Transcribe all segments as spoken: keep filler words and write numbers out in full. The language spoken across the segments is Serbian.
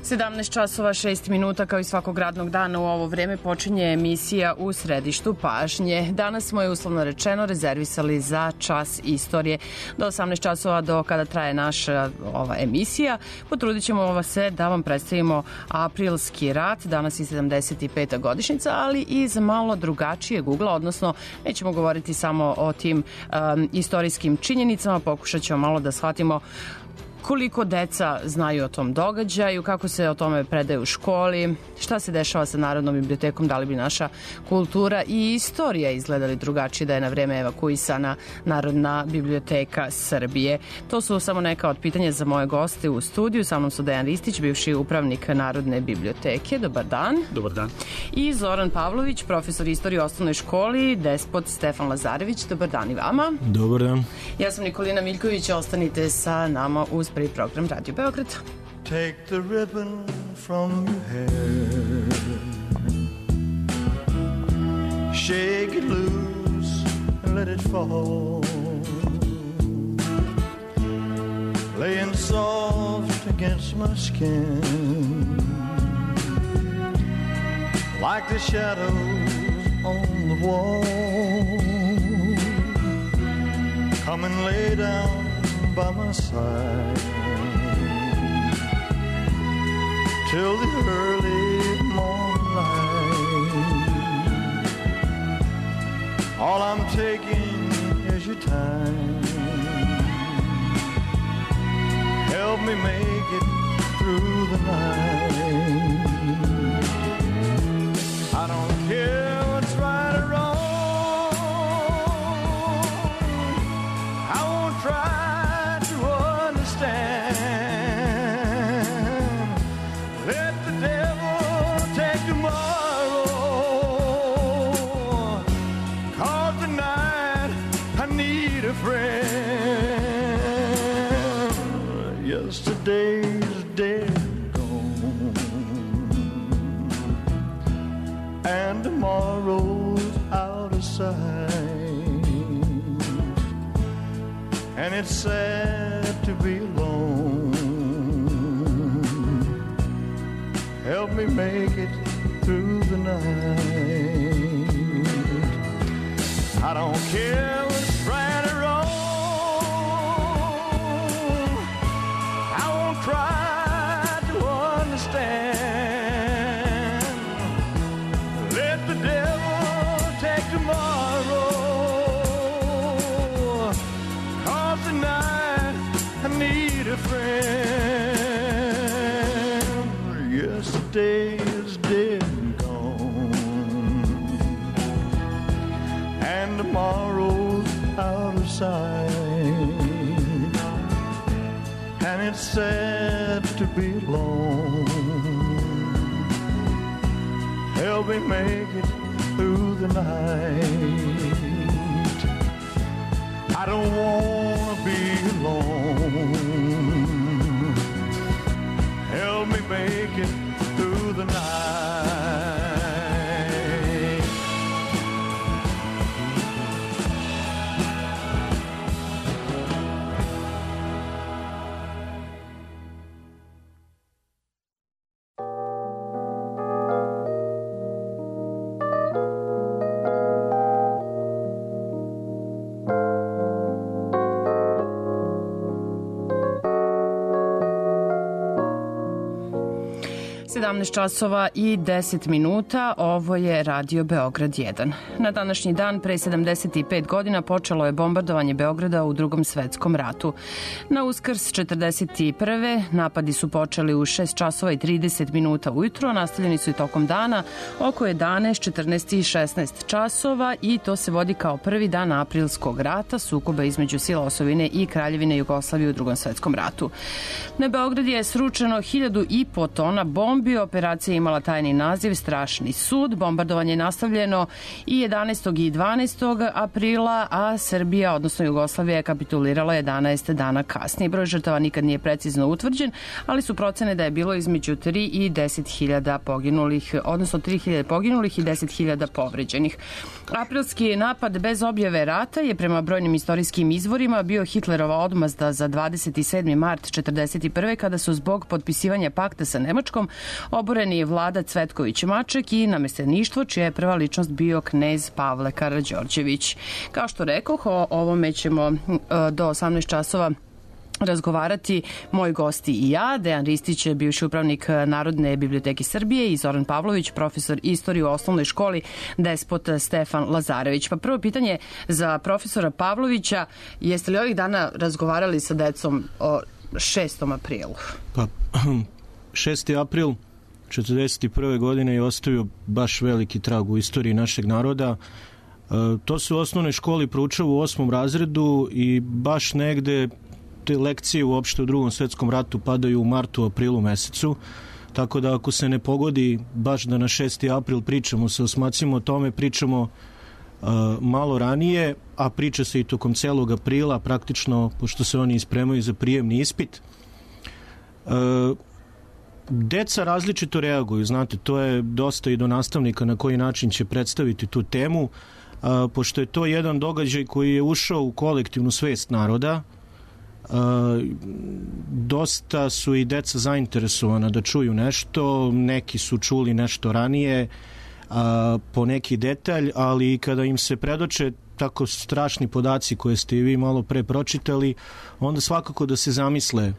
sedamnaest časova šest minuta, kao i svakog radnog dana u ovo vreme počinje emisija U središtu pažnje. Danas smo je uslovno rečeno rezervisali za čas istorije do osamnaest časova, do kada traje naša ova emisija. Potrudit ćemo se da vam predstavimo aprilski rat, danas je sedamdeset peta godišnjica, ali iz malo drugačijeg ugla, odnosno nećemo govoriti samo o tim um, istorijskim činjenicama, pokušat ćemo malo da shvatimo koliko deca znaju o tom događaju, kako se o tome predaje u školi, šta se dešava sa Narodnom bibliotekom, da li bi naša kultura i istorija izgledali drugačije da je na vreme evakuisana Narodna biblioteka Srbije. To su samo neka od pitanja za moje goste u studiju. Sa mnom su Dejan Ristić, bivši upravnik Narodne biblioteke. Dobar dan. Dobar dan. I Zoran Pavlović, profesor istorije u osnovnoj školi, despot Stefan Lazarević. Dobar dan i vama. Dobar dan. Ja sam Nikolina Miljković, ostanite sa nama uz prvi program Radio Beograd. Take the ribbon from your hair, shake it loose and let it fall, laying soft against my skin, like the shadows on the wall. Come and lay down by my side till the early morning light. All I'm taking is your time. Help me make it through the night. I don't care what's right or wrong, I won't try Yesterday's dead and gone, and tomorrow's out of sight, and it's sad to be alone. Help me make it through the night. I don't care what's right or wrong, try to understand. Let the devil take tomorrow, 'cause tonight I need a friend. Yesterday is dead and gone, and tomorrow's out of sight, and it's sad to be alone. Help me make it through the night. I don't wanna be alone. Help me make it through the night. sedamnaest časova i deset minuta, ovo je Radio Beograd jedan. Na današnji dan, pre sedamdeset pet godina, počelo je bombardovanje Beograda u Drugom svetskom ratu. Na Uskrs četrdeset prve napadi su počeli u šest časova i trideset minuta ujutro, nastavljeni su i tokom dana oko jedanaest, četrnaest i šesnaest časova i to se vodi kao prvi dan aprilskog rata, sukoba između sila osovine i Kraljevine Jugoslavije u Drugom svetskom ratu. Na Beograd je sručeno hiljadu i po tona bombi, Srbiju. Operacija imala tajni naziv Strašni sud. Bombardovanje je nastavljeno i jedanaestog i dvanaestog aprila, a Srbija, odnosno Jugoslavija, je kapitulirala jedanaest dana kasnije. Broj žrtava nikad nije precizno utvrđen, ali su procene da je bilo između tri i deset hiljada poginulih, odnosno tri hiljade poginulih i deset hiljada povređenih. Aprilski napad bez objave rata je prema brojnim istorijskim izvorima bio Hitlerova odmazda za dvadeset sedmi mart četrdeset prve kada su zbog potpisivanja pakta sa Nemačkom oboreni Vlada Cvetković-Maček i namešteništvo, čija je prva ličnost bio knez Pavle Karađorđević. Kao što rekoh, o ovome ćemo do osamnaest časova razgovarati moji gosti i ja, Dejan Ristić, bivši upravnik Narodne biblioteke Srbije, i Zoran Pavlović, profesor istorije u osnovnoj školi Despot Stefan Lazarević. Pa prvo pitanje za profesora Pavlovića, jeste li ovih dana razgovarali sa decom o šestom aprilu? Pa, šesti april četrdeset prve godine je ostavio baš veliki trag u istoriji našeg naroda. E, to se u osnovnoj školi proučava u osmom razredu i baš negde te lekcije uopšte u Drugom svetskom ratu padaju u martu, aprilu mesecu, tako da ako se ne pogodi baš da na šesti april pričamo sa osmacima o tome, pričamo uh, malo ranije, a priča se i tokom celog aprila, praktično, pošto se oni ispremaju za prijemni ispit. Uh, deca različito reaguju, znate, to je dosta i do nastavnika na koji način će predstaviti tu temu, uh, pošto je to jedan događaj koji je ušao u kolektivnu svest naroda. Uh, dosta su i deca zainteresovana da čuju nešto, neki su čuli nešto ranije, uh, po neki detalj, ali kada im se predoče tako strašni podaci koje ste i vi malo pre pročitali, onda svakako da se zamisle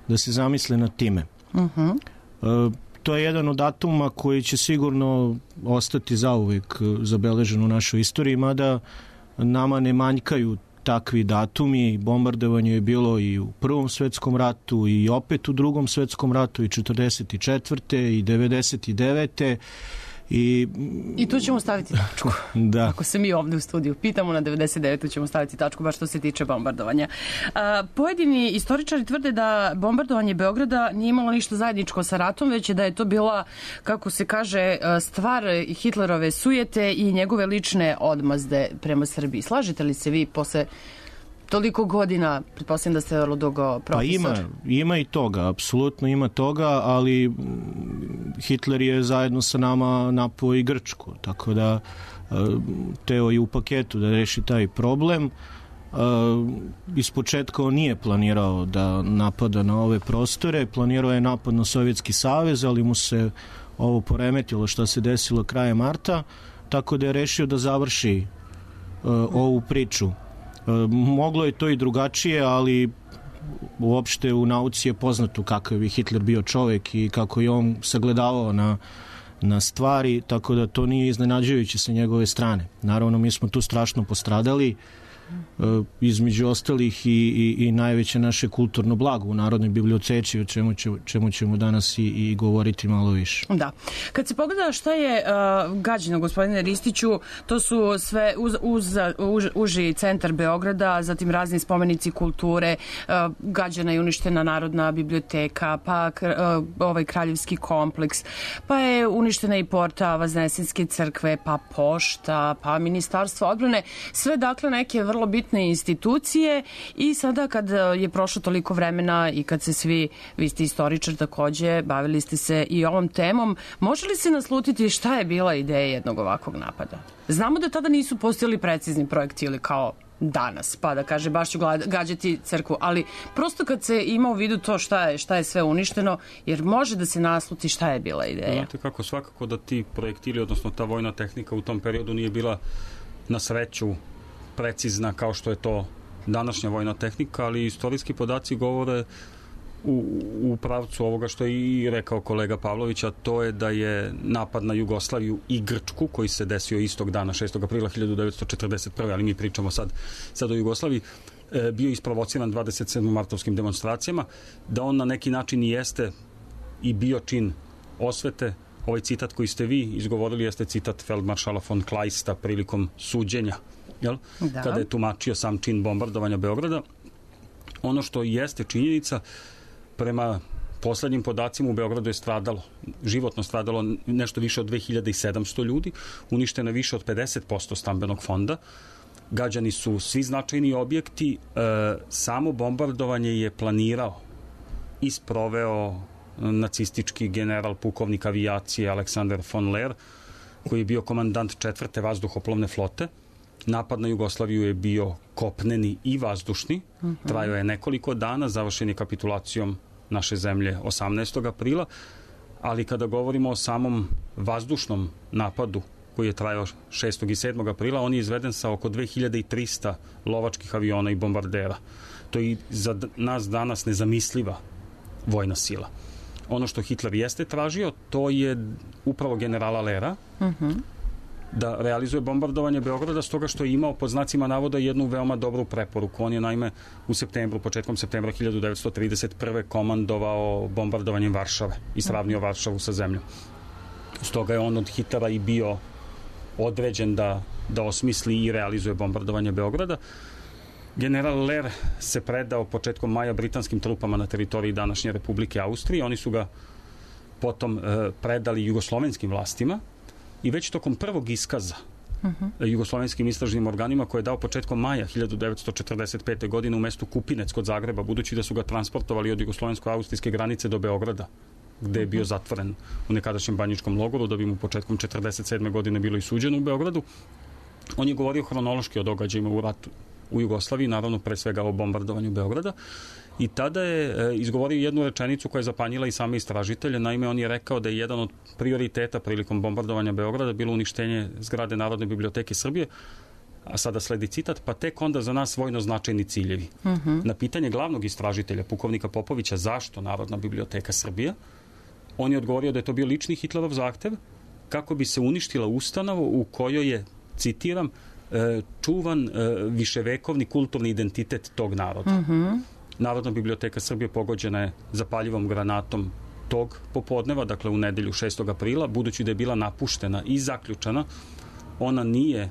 da se zamisle nad time. Uh-huh. Uh, to je jedan od datuma koji će sigurno ostati zauvek zabeležen u našoj istoriji, mada nama ne manjkaju takvi datumi. Bombardovanje je bilo i u Prvom svetskom ratu i opet u Drugom svetskom ratu i četrdeset četvrte i devedeset devete I, I tu ćemo staviti tačku. Da. Ako se mi ovde u studiju pitamo, na devedeset devetu ćemo staviti tačku, baš što se tiče bombardovanja. A, pojedini istoričari tvrde da bombardovanje Beograda nije imalo ništa zajedničko sa ratom, već je da je to bila, kako se kaže, stvar Hitlerove sujete i njegove lične odmazde prema Srbiji. Slažete li se vi posle toliko godina, pretpostavljam da ste vrlo dugo profesor? Pa ima, ima i toga, apsolutno ima toga, ali Hitler je zajedno sa nama napao i Grčku, tako da teo je u paketu da reši taj problem. Ispočetka on nije planirao da napada na ove prostore, planirao je napad na Sovjetski savez, ali mu se ovo poremetilo što se desilo krajem marta, tako da je rešio da završi ovu priču. Moglo je to i drugačije, ali uopšte u nauci je poznato kakav je Hitler bio čovek i kako je on sagledavao na, na stvari, tako da to nije iznenađujuće sa njegove strane. Naravno, mi smo tu strašno postradali, između ostalih i, i, i najveće naše kulturno blago u Narodnoj biblioteci, o čemu, će, čemu ćemo danas i, i govoriti malo više. Da. Kad se pogleda šta je uh, gađeno, gospodine Ristiću, to su sve uz, uz, uz, uži centar Beograda, zatim razni spomenici kulture, uh, gađena i uništena Narodna biblioteka, pa uh, ovaj kraljevski kompleks, pa je uništena i porta Vaznesenske crkve, pa pošta, pa ministarstvo odbrane, sve dakle neke vrlo bitne institucije. I sada kad je prošlo toliko vremena i kad se svi, vi ste istoričar takođe, bavili ste se i ovom temom, može li se naslutiti šta je bila ideja jednog ovakvog napada? Znamo da tada nisu postojali precizni projektili kao danas, pa da kaže baš ću gađati crkvu, ali prosto kad se ima u vidu to šta je, šta je sve uništeno, jer može da se nasluti šta je bila ideja. Znate kako, svakako da ti projektili, odnosno ta vojna tehnika u tom periodu nije bila na sreću precizna kao što je to današnja vojna tehnika, ali istorijski podaci govore u, u pravcu ovoga što je i rekao kolega Pavlović, a to je da je napad na Jugoslaviju i Grčku, koji se desio istog dana, šestog aprila hiljadu devetsto četrdeset prve, ali mi pričamo sad, sad o Jugoslaviji, e, bio isprovociran dvadeset sedmim martovskim demonstracijama, da on na neki način i jeste i bio čin osvete. Ovaj citat koji ste vi izgovorili jeste citat feldmaršala von Kleista prilikom suđenja, jel? Da. Kada je tumačio sam čin bombardovanja Beograda. Ono što jeste činjenica, prema poslednjim podacima u Beogradu je stradalo, životno stradalo nešto više od dve hiljade sedamsto ljudi, uništeno više od pedeset posto stambenog fonda, gađani su svi značajni objekti, e, samo bombardovanje je planirao i sproveo nacistički general pukovnik avijacije Aleksandar von Lehr, koji je bio komandant četvrte vazduhoplovne flote. Napad na Jugoslaviju je bio kopneni i vazdušni, uh-huh. trajao je nekoliko dana, završen je kapitulacijom naše zemlje osamnaestog aprila, ali kada govorimo o samom vazdušnom napadu koji je trajao šestog i sedmog aprila, on je izveden sa oko dve hiljade trista lovačkih aviona i bombardera. To je za nas danas nezamisliva vojna sila. Ono što Hitler jeste tražio, to je upravo generala Lehra, uh-huh. da realizuje bombardovanje Beograda, stoga što je imao pod znacima navoda jednu veoma dobru preporuku. On je naime u septembru, početkom septembra hiljadu devetsto trideset prve komandovao bombardovanjem Varšave i sravnio Varšavu sa zemljom. Stoga je on od Hitlera i bio određen da, da osmisli i realizuje bombardovanje Beograda. General Lehr se predao početkom maja britanskim trupama na teritoriji današnje Republike Austrije. Oni su ga potom e, predali jugoslovenskim vlastima i već tokom prvog iskaza uh-huh. jugoslovenskim istražnim organima koje je dao početkom maja hiljadu devetsto četrdeset pete. godine u mestu Kupinec kod Zagreba, budući da su ga transportovali od jugoslovensko-austrijske granice do Beograda, gde je bio zatvoren u nekadašnjem banjičkom logoru, da bi mu početkom četrdeset sedme. godine bilo i suđeno u Beogradu. On je govorio hronološki o događajima u ratu u Jugoslaviji, naravno pre svega o bombardovanju Beograda, i tada je e, izgovorio jednu rečenicu koja je zapanjila i same istražitelje. Naime, on je rekao da je jedan od prioriteta prilikom bombardovanja Beograda bilo uništenje zgrade Narodne biblioteke Srbije, a sada sledi citat, pa tek onda za nas vojno značajni ciljevi. Uh-huh. Na pitanje glavnog istražitelja, pukovnika Popovića, zašto Narodna biblioteka Srbije, on je odgovorio da je to bio lični Hitlerov zahtev kako bi se uništila ustanova u kojoj je, citiram, čuvan viševekovni kulturni identitet tog naroda. Uh-huh. Narodna biblioteka Srbije pogođena je zapaljivom granatom tog popodneva, dakle u nedelju šestog aprila, budući da je bila napuštena i zaključana, ona nije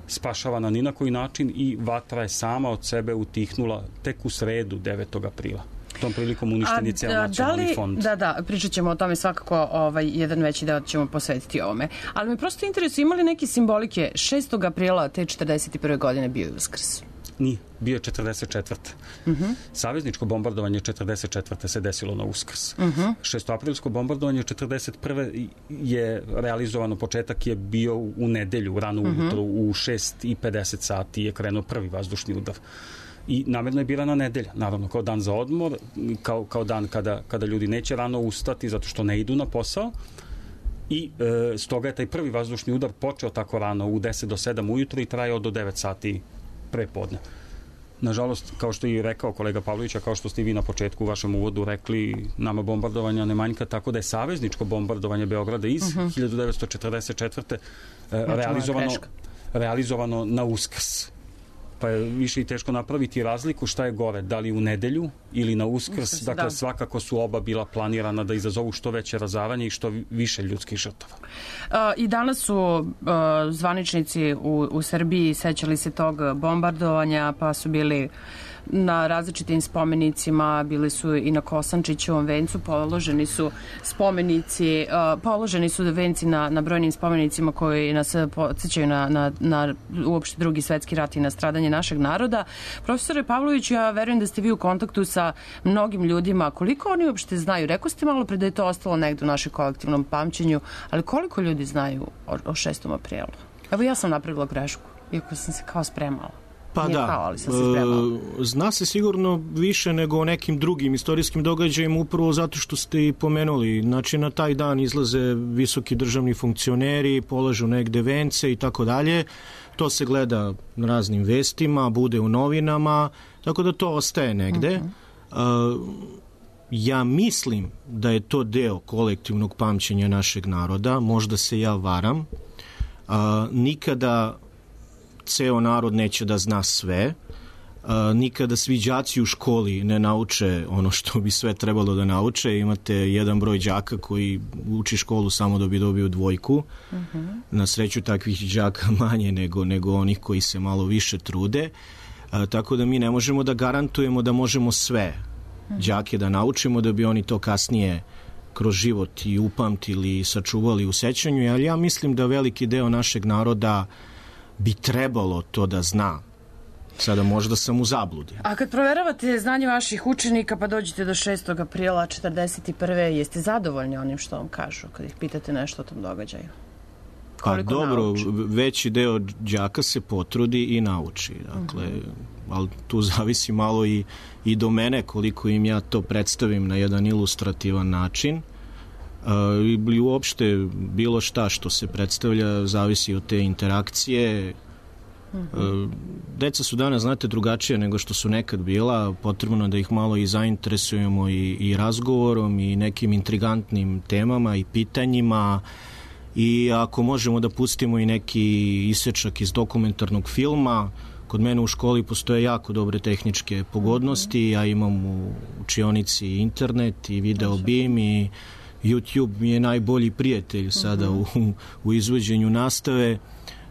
spašavana ni na koji način i vatra je sama od sebe utihnula tek u sredu devetog aprila. Tom prilikom uništen je ceo nacionalni li, fond. Da, da, pričat ćemo o tome svakako, ovaj, jedan veći deo ćemo posvetiti ovome. Ali me prosto interesuje, imali neke simbolike šestog aprila te četrdeset prve. godine bio je Uskrs? Nije, bio je četrdeset četvrte. Uh-huh. Savezničko bombardovanje četrdeset četvrte. se desilo na Uskrs. Uh-huh. Šestoaprilsko bombardovanje četrdeset prve. je realizovano, početak je bio u nedelju, rano uh-huh. ujutro, u šest i pedeset sati je krenuo prvi vazdušni udar. I namerno je birana nedelja, naravno, kao dan za odmor, kao, kao dan kada, kada ljudi neće rano ustati zato što ne idu na posao. I e, stoga je taj prvi vazdušni udar počeo tako rano, u deset do sedam ujutro i trajao do devet sati pre podne. Nažalost, kao što je i rekao kolega Pavlović, a kao što ste i vi na početku u vašem uvodu rekli, nama bombardovanja ne manjka, tako da je savezničko bombardovanje Beograda iz uh-huh. hiljadu devetsto četrdeset četvrte. E, realizovano, realizovano na Uskrs. Pa je više i teško napraviti razliku šta je gore, da li u nedelju ili na Uskrs. Uskrs dakle, da. Svakako su oba bila planirana da izazovu što veće razaranje i što više ljudskih žrtava. Uh, I danas su uh, zvaničnici u, u Srbiji sećali se tog bombardovanja, pa su bili na različitim spomenicima, bili su i na Kosančićevom vencu, položeni su spomenici, uh, položeni su venci na, na brojnim spomenicima koji nas podsjećaju na, na, na uopšte drugi svetski rat i na stradanje našeg naroda. Profesore Pavloviću, ja verujem da ste vi u kontaktu sa mnogim ljudima. Koliko oni uopšte znaju? Rekao ste malo pre da je to ostalo negde u našem kolektivnom pamćenju, ali koliko ljudi znaju o, o šestom aprilu? Evo, ja sam napravila grešku, iako sam se kao spremala. Pa Nije da, kao, ali sam se spremala. Zna se sigurno više nego o nekim drugim istorijskim događajima, upravo zato što ste i pomenuli. Znači, na taj dan izlaze visoki državni funkcioneri, polažu negde vence i tako dalje. To se gleda na raznim vestima, bude u novinama, tako da to ostaje negde. Uh-huh. Uh, ja mislim da je to deo kolektivnog pamćenja našeg naroda, možda se ja varam. Uh, nikada ceo narod neće da zna sve. Uh, nikada svi đaci u školi ne nauče ono što bi sve trebalo da nauče. Imate jedan broj đaka koji uči školu samo da bi dobio dvojku. Uh-huh. Na sreću takvih đaka manje nego, nego onih koji se malo više trude. Uh, tako da mi ne možemo da garantujemo da možemo sve. đake da naučimo, da bi oni to kasnije kroz život i upamtili i sačuvali u sećanju, ali ja mislim da veliki deo našeg naroda bi trebalo to da zna. Sada možda sam u zabludi. A kad proveravate znanje vaših učenika pa dođete do šestog aprila četrdeset prve jeste zadovoljni onim što vam kažu kad ih pitate nešto o tom događaju? Pa dobro, nauči? Veći deo đaka se potrudi i nauči. Dakle, uh-huh. ali tu zavisi malo i, i do mene koliko im ja to predstavim na jedan ilustrativan način. Uh, i uopšte bilo šta što se predstavlja zavisi od te interakcije. Uh-huh. Uh, deca su danas, znate, drugačije nego što su nekad bila. Potrebno da ih malo i zainteresujemo i, i razgovorom i nekim intrigantnim temama i pitanjima. I ako možemo da pustimo i neki isečak iz dokumentarnog filma, kod mene u školi postoje jako dobre tehničke pogodnosti, ja imam u učionici internet i video bim i YouTube mi je najbolji prijatelj sada u, u izvođenju nastave,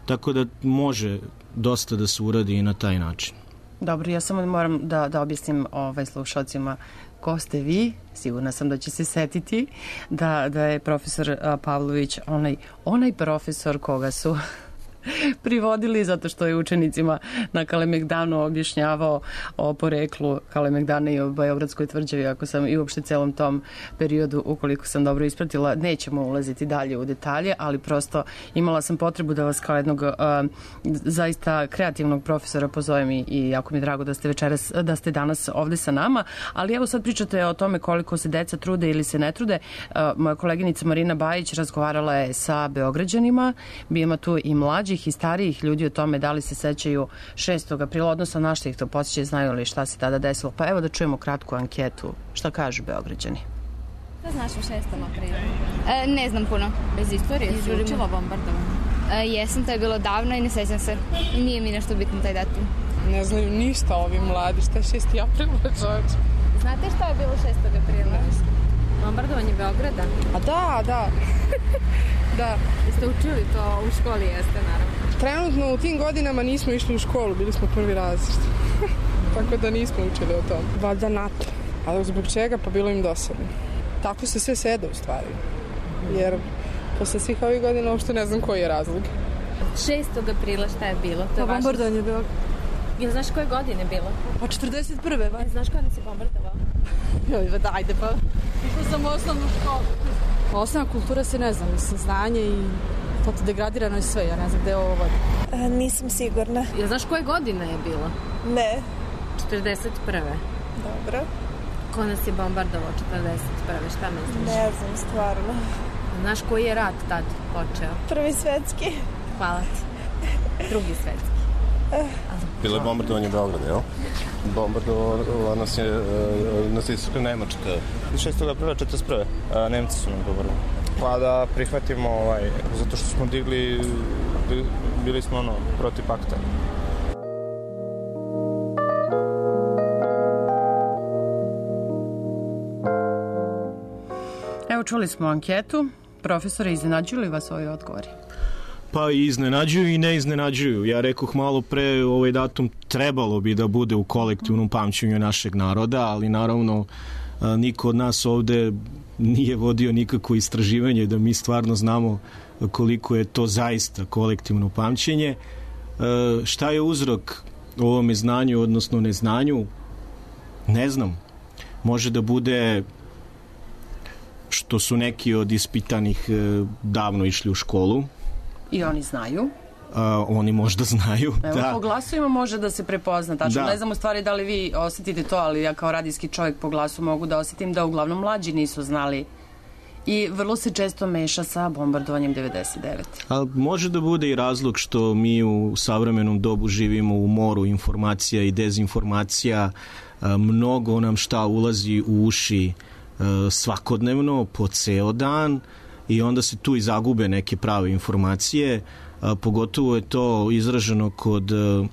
tako da može dosta da se uradi i na taj način. Dobro, ja samo moram da, da objasnim ovaj, slušalcima ko ste vi. Sigurna sam da će se setiti da, da je profesor Pavlović onaj, onaj profesor koga su privodili zato što je učenicima na Kalemegdanu objašnjavao o poreklu Kalemegdana i o Beogradskoj tvrđavi, ako sam i uopšte celom tom periodu, ukoliko sam dobro ispratila. Nećemo ulaziti dalje u detalje, ali prosto imala sam potrebu da vas kao jednog uh, zaista kreativnog profesora pozovem i, i jako mi je drago da ste večeras, da ste danas ovde sa nama, ali evo sad pričate o tome koliko se deca trude ili se ne trude. Uh, moja koleginica Marina Bajić razgovarala je sa Beograđanima, ima tu i mlađi i starijih ljudi o tome da li se sećaju šestog aprila, odnosno na što ih to podsjeća, znaju li šta se tada desilo. Pa evo da čujemo kratku anketu. Šta kažu Beograđani? Šta znaš o šestom aprilu? E, ne znam puno. Bez istorije si učila bombardovanje? E, jesam, to je bilo davno i ne sećam se. Nije mi nešto bitno taj datum. Ne znaju ništa ovi mladi. Šta je šesti april? Znate šta je bilo šestog aprila? Bombardovanje Beograda? A da, da. Da. Jeste učili to u školi, jeste, naravno? Trenutno u tim godinama nismo išli u školu, bili smo prvi razred. Tako da nismo učili o tom. Valjda NATO. Ali zbog čega? Pa bilo im dosadno. Tako se sve sede u stvari. Jer posle svih ovih godina uopšte ne znam koji je razlog. šestog aprila šta je bilo? To je pa bombardovanje je bilo. Jel znaš koje godine je bilo? Pa četrdeset prve ba. Znaš kada si bombardovao? Joj, da, ajde pa. Išla sam u osnovnu školu. Osnovna kultura se ne znam, mislim, znanje i to degradirano je sve, ja ne znam gde je ovo vodi. A, nisam sigurna. Jel znaš koje godine je bilo? Ne. četrdeset prve. Dobro. Ko nas je bombardovao četrdeset prve, šta misliš? Ne znam, stvarno. Znaš koji je rat tad počeo? Prvi svetski. Hvala ti. Drugi svetski. Bilo je bombardovanje Beograda, jel? Bombardovala nas je nacistička Nemačka. šestog aprila četrdeset prve. Nemci su nam bombardovali. Pa da prihvatimo, ovaj, zato što smo digli, bili smo ono, protiv pakta. Evo, čuli smo anketu. Profesore, iznenađuju li vas ovi odgovori? Pa i iznenađuju i ne iznenađuju. Ja rekoh malo pre, ovaj datum trebalo bi da bude u kolektivnom pamćenju našeg naroda, ali naravno niko od nas ovde nije vodio nikakvo istraživanje da mi stvarno znamo koliko je to zaista kolektivno pamćenje. Šta je uzrok ovome znanju, odnosno neznanju? Ne znam. Može da bude što su neki od ispitanih davno išli u školu. I oni znaju. A, oni možda znaju. Evo, da. Po glasovima može da se prepozna. Tačno, da. Ne znam u stvari da li vi osetite to, ali ja kao radijski čovjek po glasu mogu da osetim da uglavnom mlađi nisu znali. I vrlo se često meša sa bombardovanjem devedeset devete. A može da bude i razlog što mi u savremenom dobu živimo u moru informacija i dezinformacija. A, mnogo nam šta ulazi u uši a, svakodnevno, po ceo dan, i onda se tu i zagube neke prave informacije, a, pogotovo je to izraženo kod a,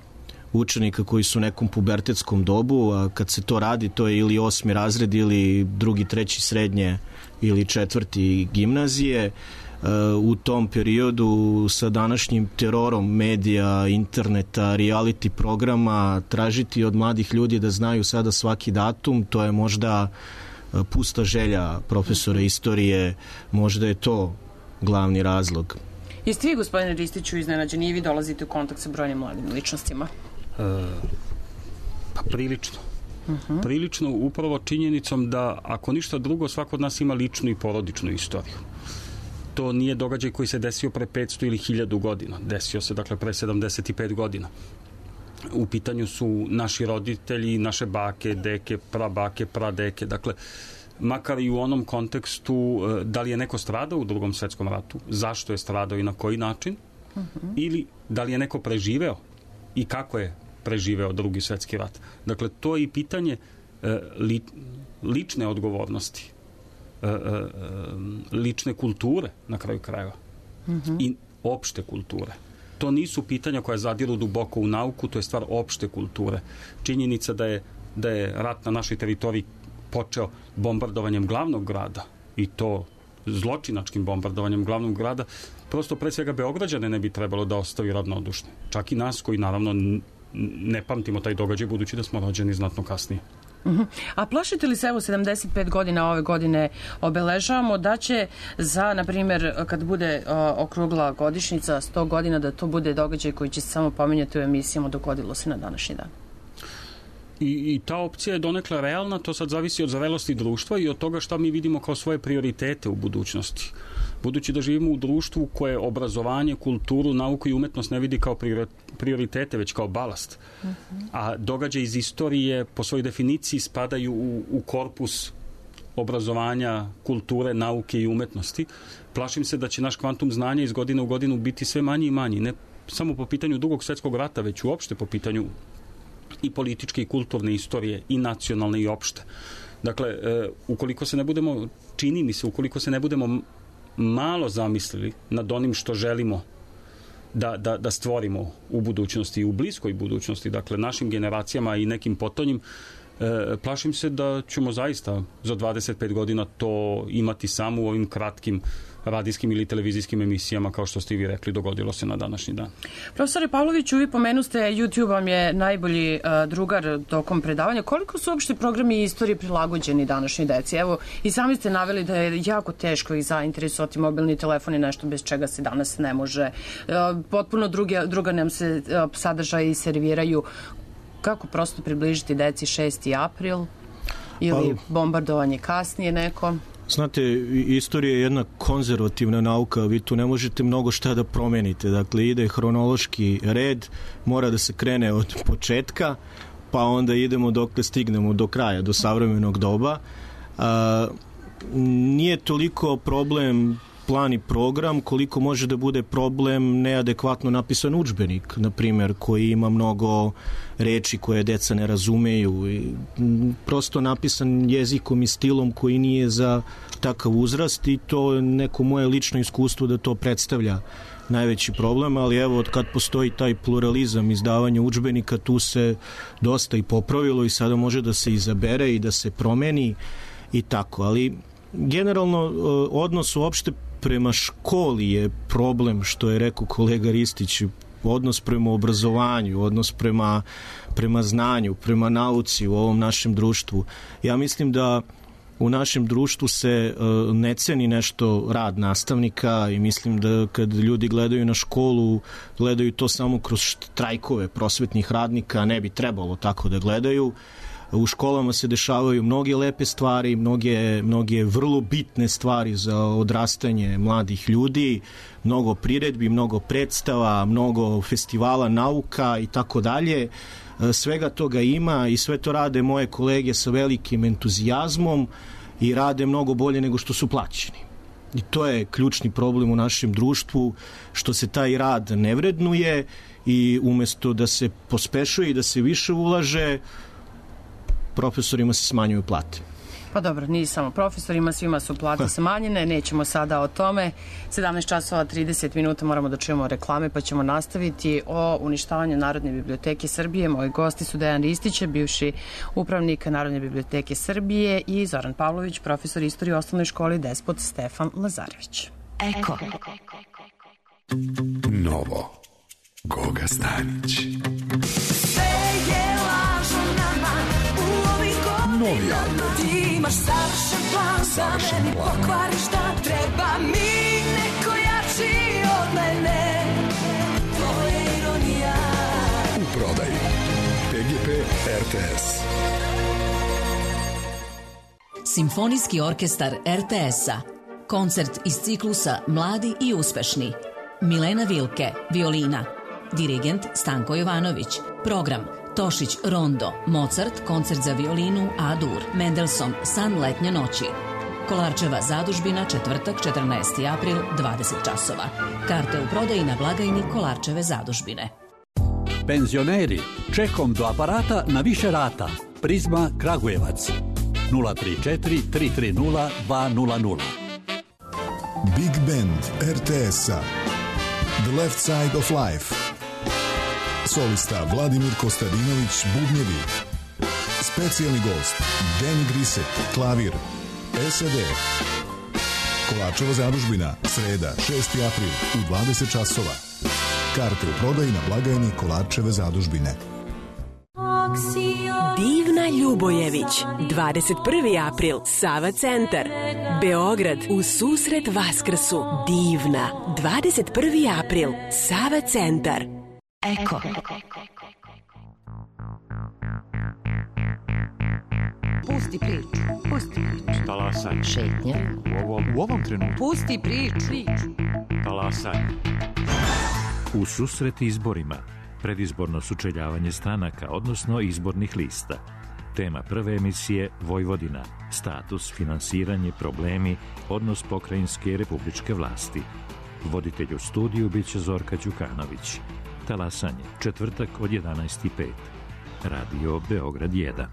učenika koji su u nekom pubertetskom dobu, a kad se to radi, to je ili osmi razred ili drugi, treći srednje ili četvrti gimnazije. u tom periodu sa današnjim terorom medija, interneta, reality programa, tražiti od mladih ljudi da znaju sada svaki datum, to je možda pusta želja profesora istorije, možda je to glavni razlog. Jeste vi, gospodine Ristiću, iznenađeni i vi dolazite u kontakt sa brojnim mladim ličnostima? E, pa prilično. Uh-huh. Prilično upravo činjenicom da ako ništa drugo svako od nas ima ličnu i porodičnu istoriju. To nije događaj koji se desio pre petsto ili hiljadu godina. Desio se dakle pre sedamdeset pet godina. U pitanju su naši roditelji, naše bake, deke, prabake, pradeke. Dakle, makar i u onom kontekstu da li je neko stradao u Drugom svetskom ratu, zašto je stradao i na koji način, uh-huh. ili da li je neko preživeo i kako je preživeo Drugi svetski rat. Dakle, to je i pitanje e, li, lične odgovornosti, e, e, lične kulture na kraju krajeva uh-huh. i opšte kulture. To nisu pitanja koja zadiru duboko u nauku, to je stvar opšte kulture. Činjenica da je, da je rat na našoj teritoriji počeo bombardovanjem glavnog grada i to zločinačkim bombardovanjem glavnog grada, prosto pre svega Beograđane ne bi trebalo da ostavi ravnodušne. Čak i nas koji naravno ne pamtimo taj događaj budući da smo rođeni znatno kasnije. Uh-huh. A plašite li se, evo sedamdeset pet godina ove godine obeležavamo, da će za, na primjer, kad bude o, okrugla godišnjica sto godina, da to bude događaj koji će se samo pominjati u emisijama, dogodilo se na današnji dan? I, I ta opcija je donekle realna, to sad zavisi od zrelosti društva i od toga šta mi vidimo kao svoje prioritete u budućnosti. Budući da živimo u društvu koje obrazovanje, kulturu, nauku i umetnost ne vidi kao prioritete, već kao balast. Uh-huh. A događaje iz istorije po svojoj definiciji spadaju u, u korpus obrazovanja, kulture, nauke i umetnosti. Plašim se da će naš kvantum znanja iz godine u godinu biti sve manji i manji. Ne samo po pitanju Drugog svetskog rata, već uopšte po pitanju i političke i kulturne istorije i nacionalne i opšte. Dakle, e, ukoliko se ne budemo, čini mi se, ukoliko se ne budemo malo zamislili nad onim što želimo da, da, da stvorimo u budućnosti i u bliskoj budućnosti, dakle našim generacijama i nekim potonjim, e, plašim se da ćemo zaista za dvadeset pet godina to imati samo u ovim kratkim radijskim ili televizijskim emisijama, kao što ste i vi rekli, dogodilo se na današnji dan. Profesore Pavloviću, vi pomenuste, YouTube vam je najbolji uh, drugar tokom predavanja. Koliko su uopšte programi istorije prilagođeni današnjoj deci? Evo, i sami ste naveli da je jako teško ih zainteresovati mobilni telefon i nešto bez čega se danas ne može. Uh, potpuno druge, druga nam se uh, sadržaje serviraju. Kako prosto približiti deci šesti april ili bombardovanje kasnije neko? Znate, istorija je jedna konzervativna nauka, vi tu ne možete mnogo šta da promenite. Dakle, ide hronološki red, mora da se krene od početka, pa onda idemo dokle stignemo do kraja, do savremenog doba. A, nije toliko problem plan i program, koliko može da bude problem neadekvatno napisan udžbenik, na primjer, koji ima mnogo reči koje deca ne razumeju. I prosto napisan jezikom i stilom koji nije za takav uzrast i to je neko moje lično iskustvo da to predstavlja najveći problem, ali evo, od kad postoji taj pluralizam izdavanja udžbenika, tu se dosta i popravilo i sada može da se izabere i da se promeni i tako, ali generalno odnos uopšte prema školi je problem, što je rekao kolega Ristić, odnos prema obrazovanju, odnos prema, prema znanju, prema nauci u ovom našem društvu. Ja mislim da u našem društvu se uh, ne ceni nešto rad nastavnika i mislim da kad ljudi gledaju na školu, gledaju to samo kroz štrajkove prosvetnih radnika, ne bi trebalo tako da gledaju. U školama se dešavaju mnoge lepe stvari, mnoge, mnoge vrlo bitne stvari za odrastanje mladih ljudi, mnogo priredbi, mnogo predstava, mnogo festivala nauka i tako dalje. Svega toga ima i sve to rade moje kolege sa velikim entuzijazmom i rade mnogo bolje nego što su plaćeni. I to je ključni problem u našem društvu, što se taj rad ne vrednuje i umesto da se pospešuje i da se više ulaže, profesorima se smanjuju plate. Pa dobro, nije samo profesorima, svima su plate smanjene, nećemo sada o tome. sedamnaest časova trideset minuta moramo da čujemo reklame, pa ćemo nastaviti o uništavanju Narodne biblioteke Srbije. Moji gosti su Dejan Ristić, bivši upravnik Narodne biblioteke Srbije, i Zoran Pavlović, profesor istorije u osnovnoj školi Despot Stefan Lazarević. Eko. Novo. Goga Stanić. Sve je lažno nama u ovih godina. Novi album. Ti imaš savršen plan, savršen da meni plan. pokvariš šta treba mi neko jači od mene. To je ironija. U prodaji P G P R T S. Simfonijski orkestar R T S-a. Koncert iz ciklusa Mladi i uspešni. Milena Vilke, violina. Dirigent Stanko Jovanović. Program Tošić Rondo, Mozart, koncert za violinu A-dur, Mendelssohn, San letnje noći. Kolarčeva zadužbina, četvrtak, četrnaesti april, dvadeset časova. Karte u prodaji na blagajni Kolarčeve zadužbine. Penzioneri, čekom do aparata na više rata. Prizma Kragujevac. nula tri četiri tri tri nula dva nula nula. Big Band R T S-a. The Left Side of Life. Solista Vladimir Kostadinović, bubnjevi. Specijalni gost Danny Grisek, klavir. S E D. Kolarčeva zadužbina, sreda, šesti april u dvadeset časova. Karte u prodaji na blagajni Kolarčeve zadužbine. Divna Ljubojević, dvadeset prvi april, Sava centar, Beograd, u susret Vaskrsu. Divna, dvadeset prvi april, Sava centar. Eko. Pusti priču, pusti priču. Talasanje. Šetnje. U ovom, u ovom trenutku. Pusti priču. Talasanje. U susret izborima. Predizborno sučeljavanje stranaka, odnosno izbornih lista. Tema prve emisije Vojvodina. Status, finansiranje, problemi, odnos pokrajinske i republičke vlasti. Voditelj u studiju biće Zorka Đukanović. Talasanje, četvrtak od jedanaest i pet. Radio Beograd jedan.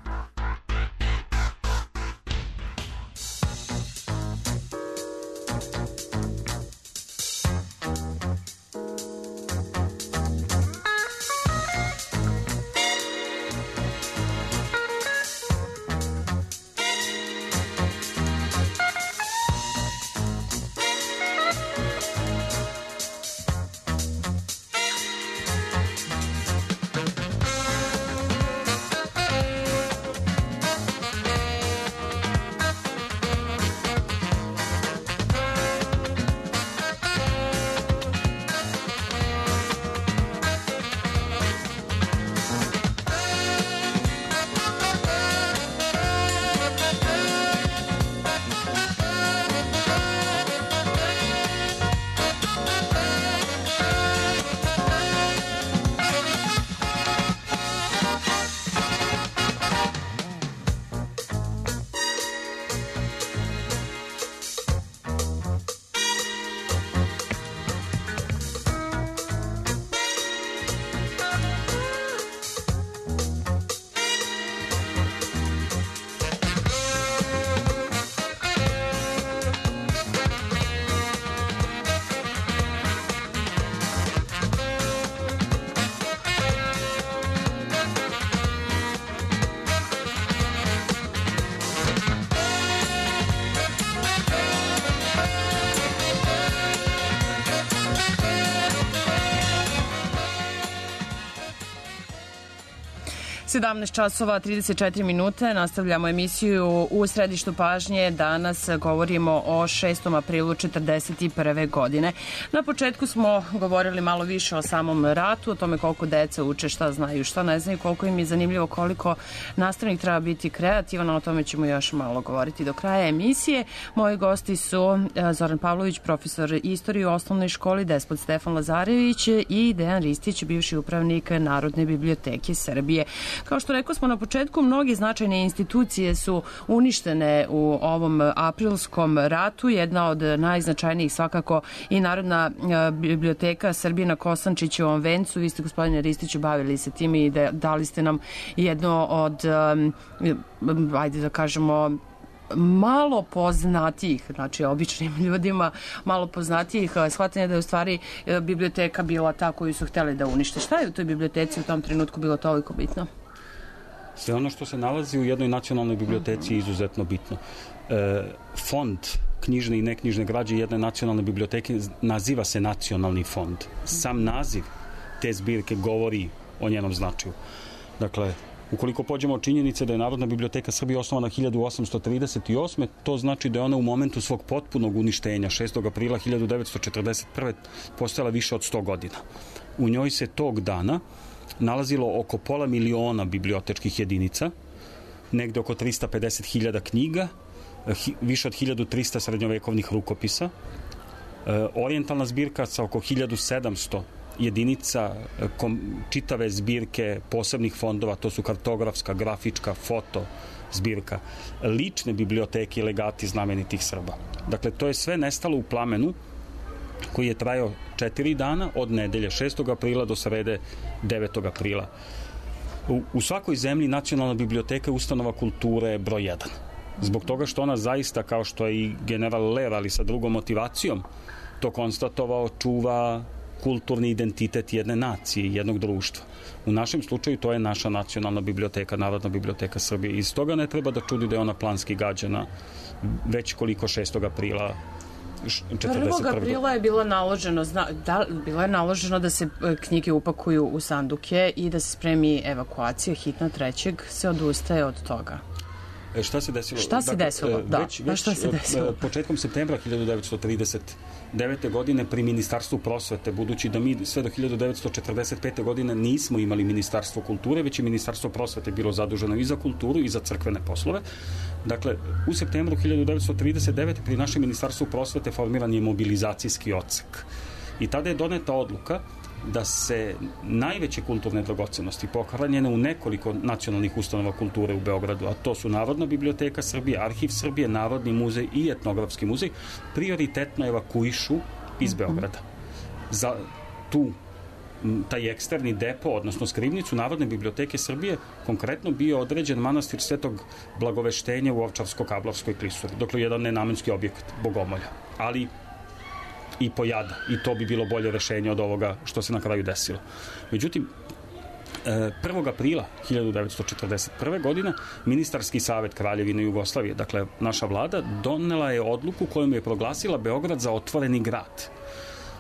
sedamnaest časova trideset četiri minute, nastavljamo emisiju u središtu pažnje. Danas govorimo o šestom aprilu četrdeset prve godine. Na početku smo govorili malo više o samom ratu, o tome koliko deca uče, šta znaju, šta ne znaju, koliko im je zanimljivo, koliko nastavnik treba biti kreativan, o tome ćemo još malo govoriti do kraja emisije. Moji gosti su Zoran Pavlović, profesor istorije u osnovnoj školi, Despot Stefan Lazarević i Dejan Ristić, bivši upravnik Narodne biblioteke Srbije. Kao što rekao smo na početku, mnogi značajne institucije su uništene u ovom aprilskom ratu. Jedna od najznačajnijih svakako i Narodna biblioteka Srbije na Kosančićevom vencu. Vi ste, gospodine Ristiću, bavili se tim i dali ste nam jedno od, ajde da kažemo, malo poznatijih, znači običnim ljudima, malo poznatijih shvatanja da je u stvari biblioteka bila ta koju su hteli da unište. Šta je u toj biblioteci u tom trenutku bilo toliko bitno? Sve ono što se nalazi u jednoj nacionalnoj biblioteci je izuzetno bitno. E, fond knjižne i neknjižne građe jedne nacionalne biblioteke naziva se Nacionalni fond. Sam naziv te zbirke govori o njenom značaju. Dakle, ukoliko pođemo od činjenice da je Narodna biblioteka Srbije osnovana hiljadu osamsto trideset osme. to znači da je ona u momentu svog potpunog uništenja šestog aprila hiljadu devetsto četrdeset prve. postojala više od sto godina. U njoj se tog dana nalazilo oko pola miliona bibliotečkih jedinica, negde oko trista pedeset hiljada knjiga, više od hiljadu trista srednjovekovnih rukopisa, orijentalna zbirka sa oko hiljadu sedamsto jedinica, kom, čitave zbirke posebnih fondova, to su kartografska, grafička, foto zbirka, lične biblioteke i legati znamenitih Srba. Dakle, to je sve nestalo u plamenu koji je trajao četiri dana od nedelje šestog aprila do srede devetog aprila. U, u svakoj zemlji Nacionalna biblioteka je ustanova kulture broj jedan. Zbog toga što ona zaista, kao što je i general Ler, ali sa drugom motivacijom, to konstatovao, čuva kulturni identitet jedne nacije, jednog društva. U našem slučaju to je naša nacionalna biblioteka, Narodna biblioteka Srbije. Iz toga ne treba da čudi da je ona planski gađana već koliko šestog aprila četrdeset prve. prvog aprila je bilo naloženo, zna, da, bilo je naloženo da se knjige upakuju u sanduke i da se spremi evakuacija hitna. Trećeg se odustaje od toga. E, šta se desilo? Šta se dakle, desilo? Da, već, već, šta se desilo? Početkom septembra hiljadu devetsto trideset devete. godine pri Ministarstvu prosvete, budući da mi sve do hiljadu devetsto četrdeset pete. godine nismo imali Ministarstvo kulture, već je Ministarstvo prosvete bilo zaduženo i za kulturu i za crkvene poslove. Dakle, u septembru hiljadu devetsto trideset devete. pri našem Ministarstvu prosvete formiran je mobilizacijski odsek. I tada je doneta odluka da se najveće kulturne dragocenosti pohranjene u nekoliko nacionalnih ustanova kulture u Beogradu, a to su Narodna biblioteka Srbije, Arhiv Srbije, Narodni muzej i Etnografski muzej, prioritetno evakuišu iz Beograda. Za tu taj eksterni depo, odnosno skrivnicu Narodne biblioteke Srbije, konkretno bio određen manastir Svetog Blagoveštenja u Ovčarsko-Kablarskoj klisuri, dakle jedan nenamenski objekat Bogomolja, ali i pojada, i to bi bilo bolje rešenje od ovoga što se na kraju desilo. Međutim, prvog aprila hiljadu devetsto četrdeset prve. godine Ministarski savet Kraljevine Jugoslavije, dakle naša vlada, donela je odluku kojom je proglasila Beograd za otvoreni grad.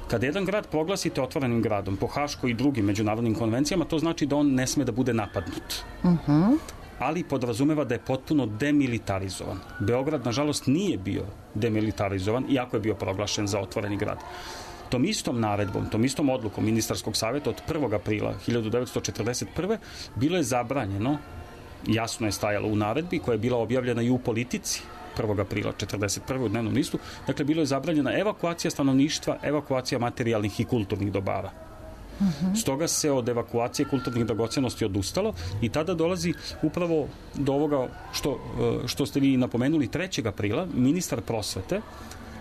Kada jedan grad proglasite otvorenim gradom po Haškoj i drugim međunarodnim konvencijama, to znači da on ne sme da bude napadnut. Uh-huh. Ali podrazumeva da je potpuno demilitarizovan. Beograd, nažalost, nije bio demilitarizovan, iako je bio proglašen za otvoreni grad. Tom istom naredbom, tom istom odlukom Ministarskog savjeta od prvog aprila hiljadu devetsto četrdeset prve. bilo je zabranjeno, jasno je stajalo u naredbi, koja je bila objavljena i u Politici prvog aprila četrdeset prve. u dnevnom listu, dakle, bilo je zabranjena evakuacija stanovništva, evakuacija materijalnih i kulturnih dobara. Uh-huh. Stoga se od evakuacije kulturnih dragocenosti odustalo i tada dolazi upravo do ovoga što, što ste vi napomenuli. Trećeg aprila ministar prosvete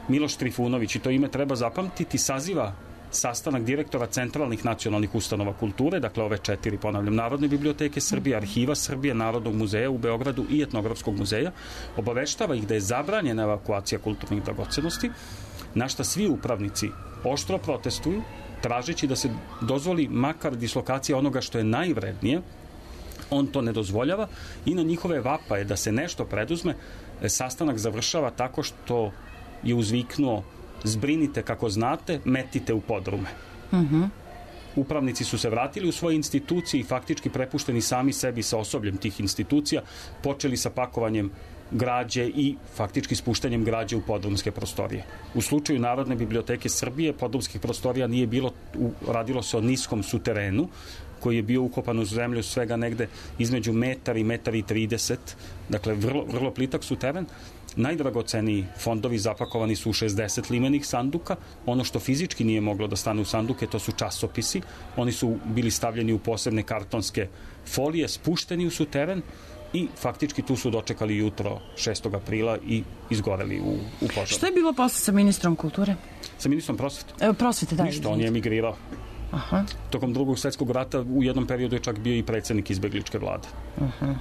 Miloš Trifunović, i to ime treba zapamtiti, saziva sastanak direktora centralnih nacionalnih ustanova kulture, dakle ove četiri, ponavljam, Narodne biblioteke Srbije, Arhiva Srbije, Narodnog muzeja u Beogradu i Etnografskog muzeja, obaveštava ih da je zabranjena evakuacija kulturnih dragocenosti, na šta svi upravnici oštro protestuju, tražeći da se dozvoli makar dislokacija onoga što je najvrednije. On to ne dozvoljava i na njihove vapaje da se nešto preduzme, sastanak završava tako što je uzviknuo: zbrinite kako znate, metite u podrume. Uh-huh. Upravnici su se vratili u svoje institucije i faktički prepušteni sami sebi sa osobljem tih institucija, počeli sa pakovanjem građe i faktički spuštanjem građe u podrumske prostorije. U slučaju Narodne biblioteke Srbije podrumskih prostorija nije bilo, radilo se o niskom suterenu koji je bio ukopan u zemlju svega negde između metar i metar i trideset, dakle vrlo, vrlo plitak suteren. Najdragoceniji fondovi zapakovani su u šezdeset limenih sanduka. Ono što fizički nije moglo da stane u sanduke, to su časopisi. Oni su bili stavljeni u posebne kartonske folije, spušteni u suteren i faktički tu su dočekali jutro šestog aprila i izgoreli u, u požaru. Što je bilo posle sa ministrom kulture? Sa ministrom prosvete? E, prosvete, da. Ništa, on je emigrirao. Aha. Tokom drugog svetskog rata u jednom periodu je čak bio i predsjednik izbegličke vlade. Aha.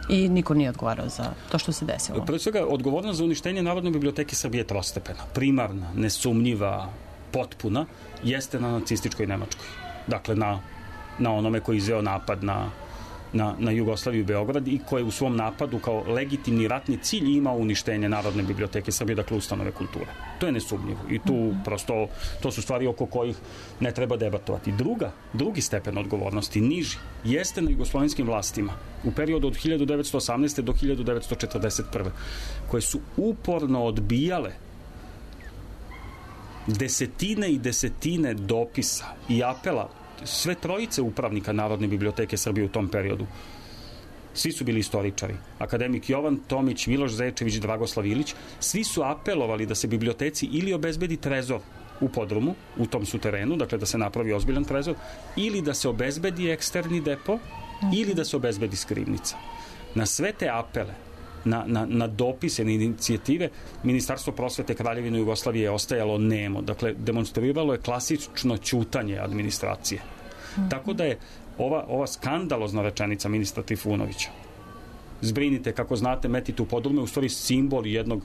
I niko nije odgovarao za to što se desilo. Pre svega, odgovornost za uništenje Narodne biblioteke Srbije je trostepena. Primarna, nesumnjiva, potpuna, jeste na nacističkoj Nemačkoj. Dakle, na, na onome koji izveo napad na na, na Jugoslaviju i Beograd i koje u svom napadu kao legitimni ratni cilj imao uništenje Narodne biblioteke Srbije, dakle ustanove kulture. To je nesumnjivo i tu prosto to su stvari oko kojih ne treba debatovati. Druga, drugi stepen odgovornosti, niži, jeste na jugoslovenskim vlastima u periodu od hiljadu devetsto osamnaeste. do hiljadu devetsto četrdeset prve. koje su uporno odbijale desetine i desetine dopisa i apela sve trojice upravnika Narodne biblioteke Srbije u tom periodu. Svi su bili istoričari. Akademik Jovan Tomić, Miloš Zečević, Dragoslav Ilić, svi su apelovali da se biblioteci ili obezbedi trezor u podrumu, u tom suterenu, dakle da se napravi ozbiljan trezor, ili da se obezbedi eksterni depo, ili da se obezbedi skrivnica. Na sve te apele, na, na, na dopise, na inicijative, Ministarstvo prosvete Kraljevine Jugoslavije je ostajalo nemo. Dakle, demonstriralo je klasično ćutanje administracije. Mm-hmm. Tako da je ova, ova skandalozna rečenica ministra Trifunovića, zbrinite, kako znate, metite u podrume, u stvari simbol jednog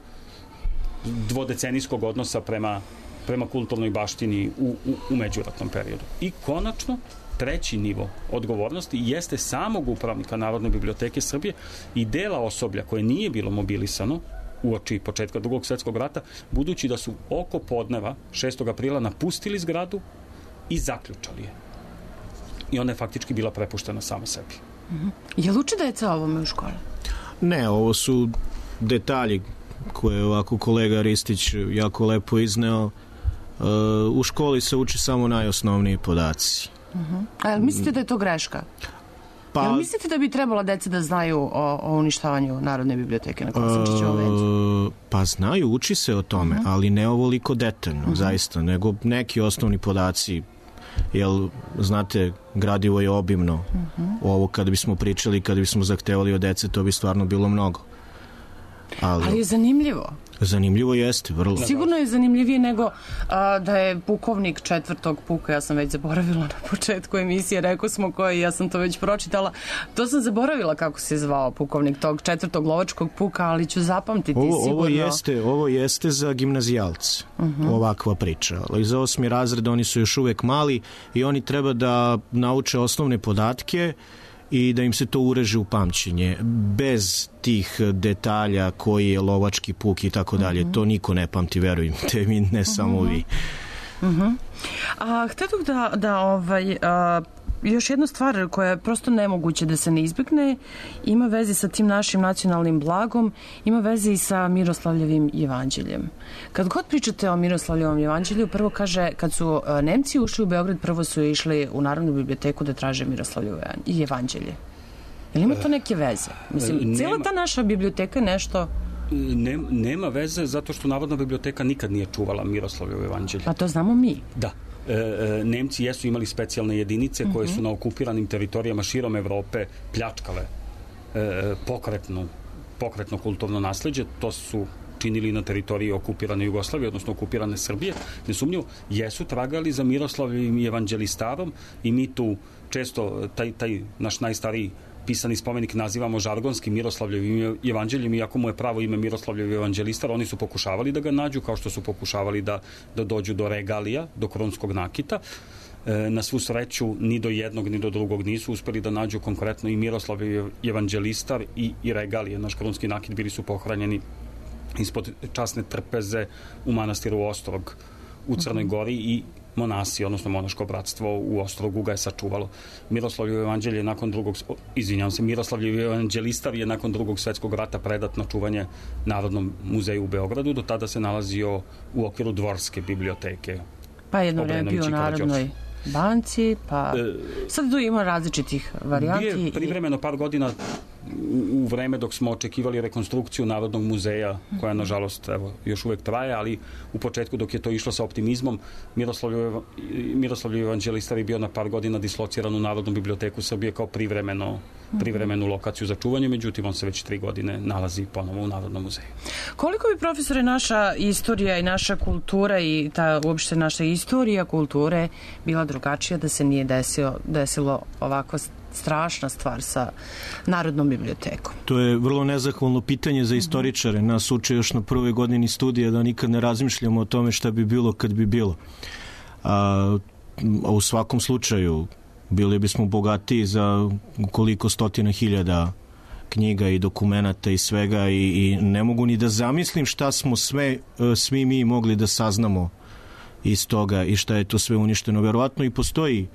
dvodecenijskog odnosa prema, prema kulturnoj baštini u, u, u međuratnom periodu. I konačno, treći nivo odgovornosti jeste samog upravnika Narodne biblioteke Srbije i dela osoblja koje nije bilo mobilisano uoči početka Drugog svjetskog rata, budući da su oko podneva šestog aprila napustili zgradu i zaključali je. I ona je faktički bila prepuštena samo sebi. Mm-hmm. Je li uči deca ovome u školi? Ne, ovo su detalji koje je ovako kolega Ristić jako lepo izneo. Uh, u školi se uči samo najosnovniji podaci. Uh-huh. A jel mislite da je to greška? Pa, jel mislite da bi trebala deca da znaju o, o uništavanju Narodne biblioteke na Kosančićevom vencu? Uh, pa znaju, uči se o tome, uh-huh. ali ne ovoliko detaljno, uh-huh. zaista, nego neki osnovni podaci. Jel, znate, gradivo je obimno. Uh-huh. Ovo kada bismo pričali, kada bismo zahtevali od dece, to bi stvarno bilo mnogo. Ali, ali je zanimljivo. Zanimljivo jeste, vrlo. Sigurno je zanimljivije nego a, da je pukovnik četvrtog puka, ja sam već zaboravila na početku emisije, rekao smo koji, ja sam to već pročitala, to sam zaboravila kako se zvao pukovnik tog četvrtog lovačkog puka, ali ću zapamtiti ovo, sigurno. Ovo jeste, ovo jeste za gimnazijalce, uh-huh. ovakva priča, ali za osmi razred oni su još uvek mali i oni treba da nauče osnovne podatke i da im se to ureže u pamćenje. Bez tih detalja koji je lovački puk i tako dalje. To niko ne pamti, verujte mi, ne samo uh-huh. vi. Uh-huh. A htjetuh da, da ovaj, a, još jedna stvar koja je prosto nemoguće da se ne izbjegne, ima veze sa tim našim nacionalnim blagom, ima veze i sa Miroslavljevim jevanđeljem. Kad god pričate o Miroslavljevom jevanđelju, prvo kaže, kad su Nemci ušli u Beograd, prvo su išli u Narodnu biblioteku da traže Miroslavljevo jevanđelje. Je li ima to neke veze? Mislim, nema, cijela ta naša biblioteka je nešto... Nema, nema veze zato što Narodna biblioteka nikad nije čuvala Miroslavljevo jevanđelje. Pa to znamo mi. Da. E, Nemci jesu imali specijalne jedinice koje su na okupiranim teritorijama širom Evrope pljačkale e, pokretnu, pokretno kulturno nasleđe. To su činili na teritoriji okupirane Jugoslavije, odnosno okupirane Srbije. Nesumnjivo, jesu tragali za Miroslavljevim evanđelistarom i mi tu često taj, taj naš najstariji pisani spomenik nazivamo žargonski Miroslavljevim evanđeljem, iako mu je pravo ime Miroslavljev evanđelistar. Oni su pokušavali da ga nađu, kao što su pokušavali da, da dođu do regalija, do krunskog nakita. E, na svu sreću, ni do jednog, ni do drugog nisu uspeli da nađu konkretno i Miroslavljev evanđelistar i, i regalije. Naš krunski nakit bili su pohranjeni ispod časne trpeze u manastiru Ostrog u Crnoj Gori i monasi, odnosno monaško bratstvo u Ostrogu ga je sačuvalo. Miroslavljevo evanđelje je nakon drugog, izvinjavam se, Miroslavljev evanđelistar je nakon drugog svjetskog rata predat na čuvanje Narodnom muzeju u Beogradu, do tada se nalazio u okviru Dvorske biblioteke. Pa jedno vreme bio u Narodnoj banci, pa sad tu ima različitih varijanti. Bio je privremeno par godina u vreme dok smo očekivali rekonstrukciju Narodnog muzeja, koja nažalost evo, još uvek traje, ali u početku dok je to išlo sa optimizmom, Miroslavljev evanđelistar je bio na par godina dislociran u Narodnu biblioteku Srbije kao privremeno, privremenu lokaciju za čuvanje, međutim on se već tri godine nalazi ponovo u Narodnom muzeju. Koliko bi, profesore, naša istorija i naša kultura i ta uopšte naša istorija kulture bila drugačija da se nije desilo, desilo ovako strašna stvar sa Narodnom bibliotekom? To je vrlo nezahvalno pitanje za istoričare. Nas uče još na prvoj godini studija da nikad ne razmišljamo o tome šta bi bilo kad bi bilo. A, a u svakom slučaju bili bismo bogatiji za koliko stotina hiljada knjiga i dokumenata i svega i, i ne mogu ni da zamislim šta smo sve, svi mi mogli da saznamo iz toga i šta je to sve uništeno. Verovatno i postoji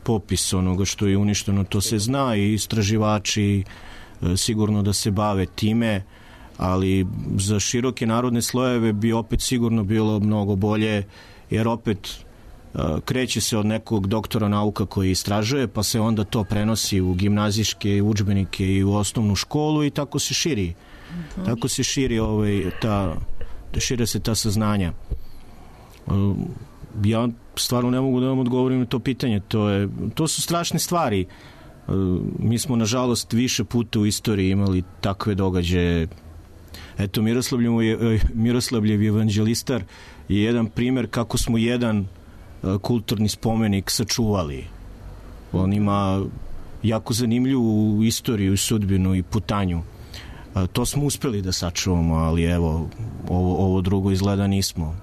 popis onoga što je uništeno, to se zna i istraživači sigurno da se bave time, ali za široke narodne slojeve bi opet sigurno bilo mnogo bolje, jer opet kreće se od nekog doktora nauka koji istražuje, pa se onda to prenosi u gimnazijske udžbenike i u osnovnu školu i tako se širi. Uh-huh. Tako se širi ovaj, ta, šire se ta saznanja. Ja stvarno ne mogu da vam odgovorim na to pitanje. To, je, to su strašne stvari. Mi smo, nažalost, više puta u istoriji imali takve događaje. Eto, Miroslavljev, Miroslavljev evanđelistar je jedan primer kako smo jedan kulturni spomenik sačuvali. On ima jako zanimljivu istoriju i sudbinu i putanju. To smo uspeli da sačuvamo, ali evo, ovo, ovo drugo izgleda nismo.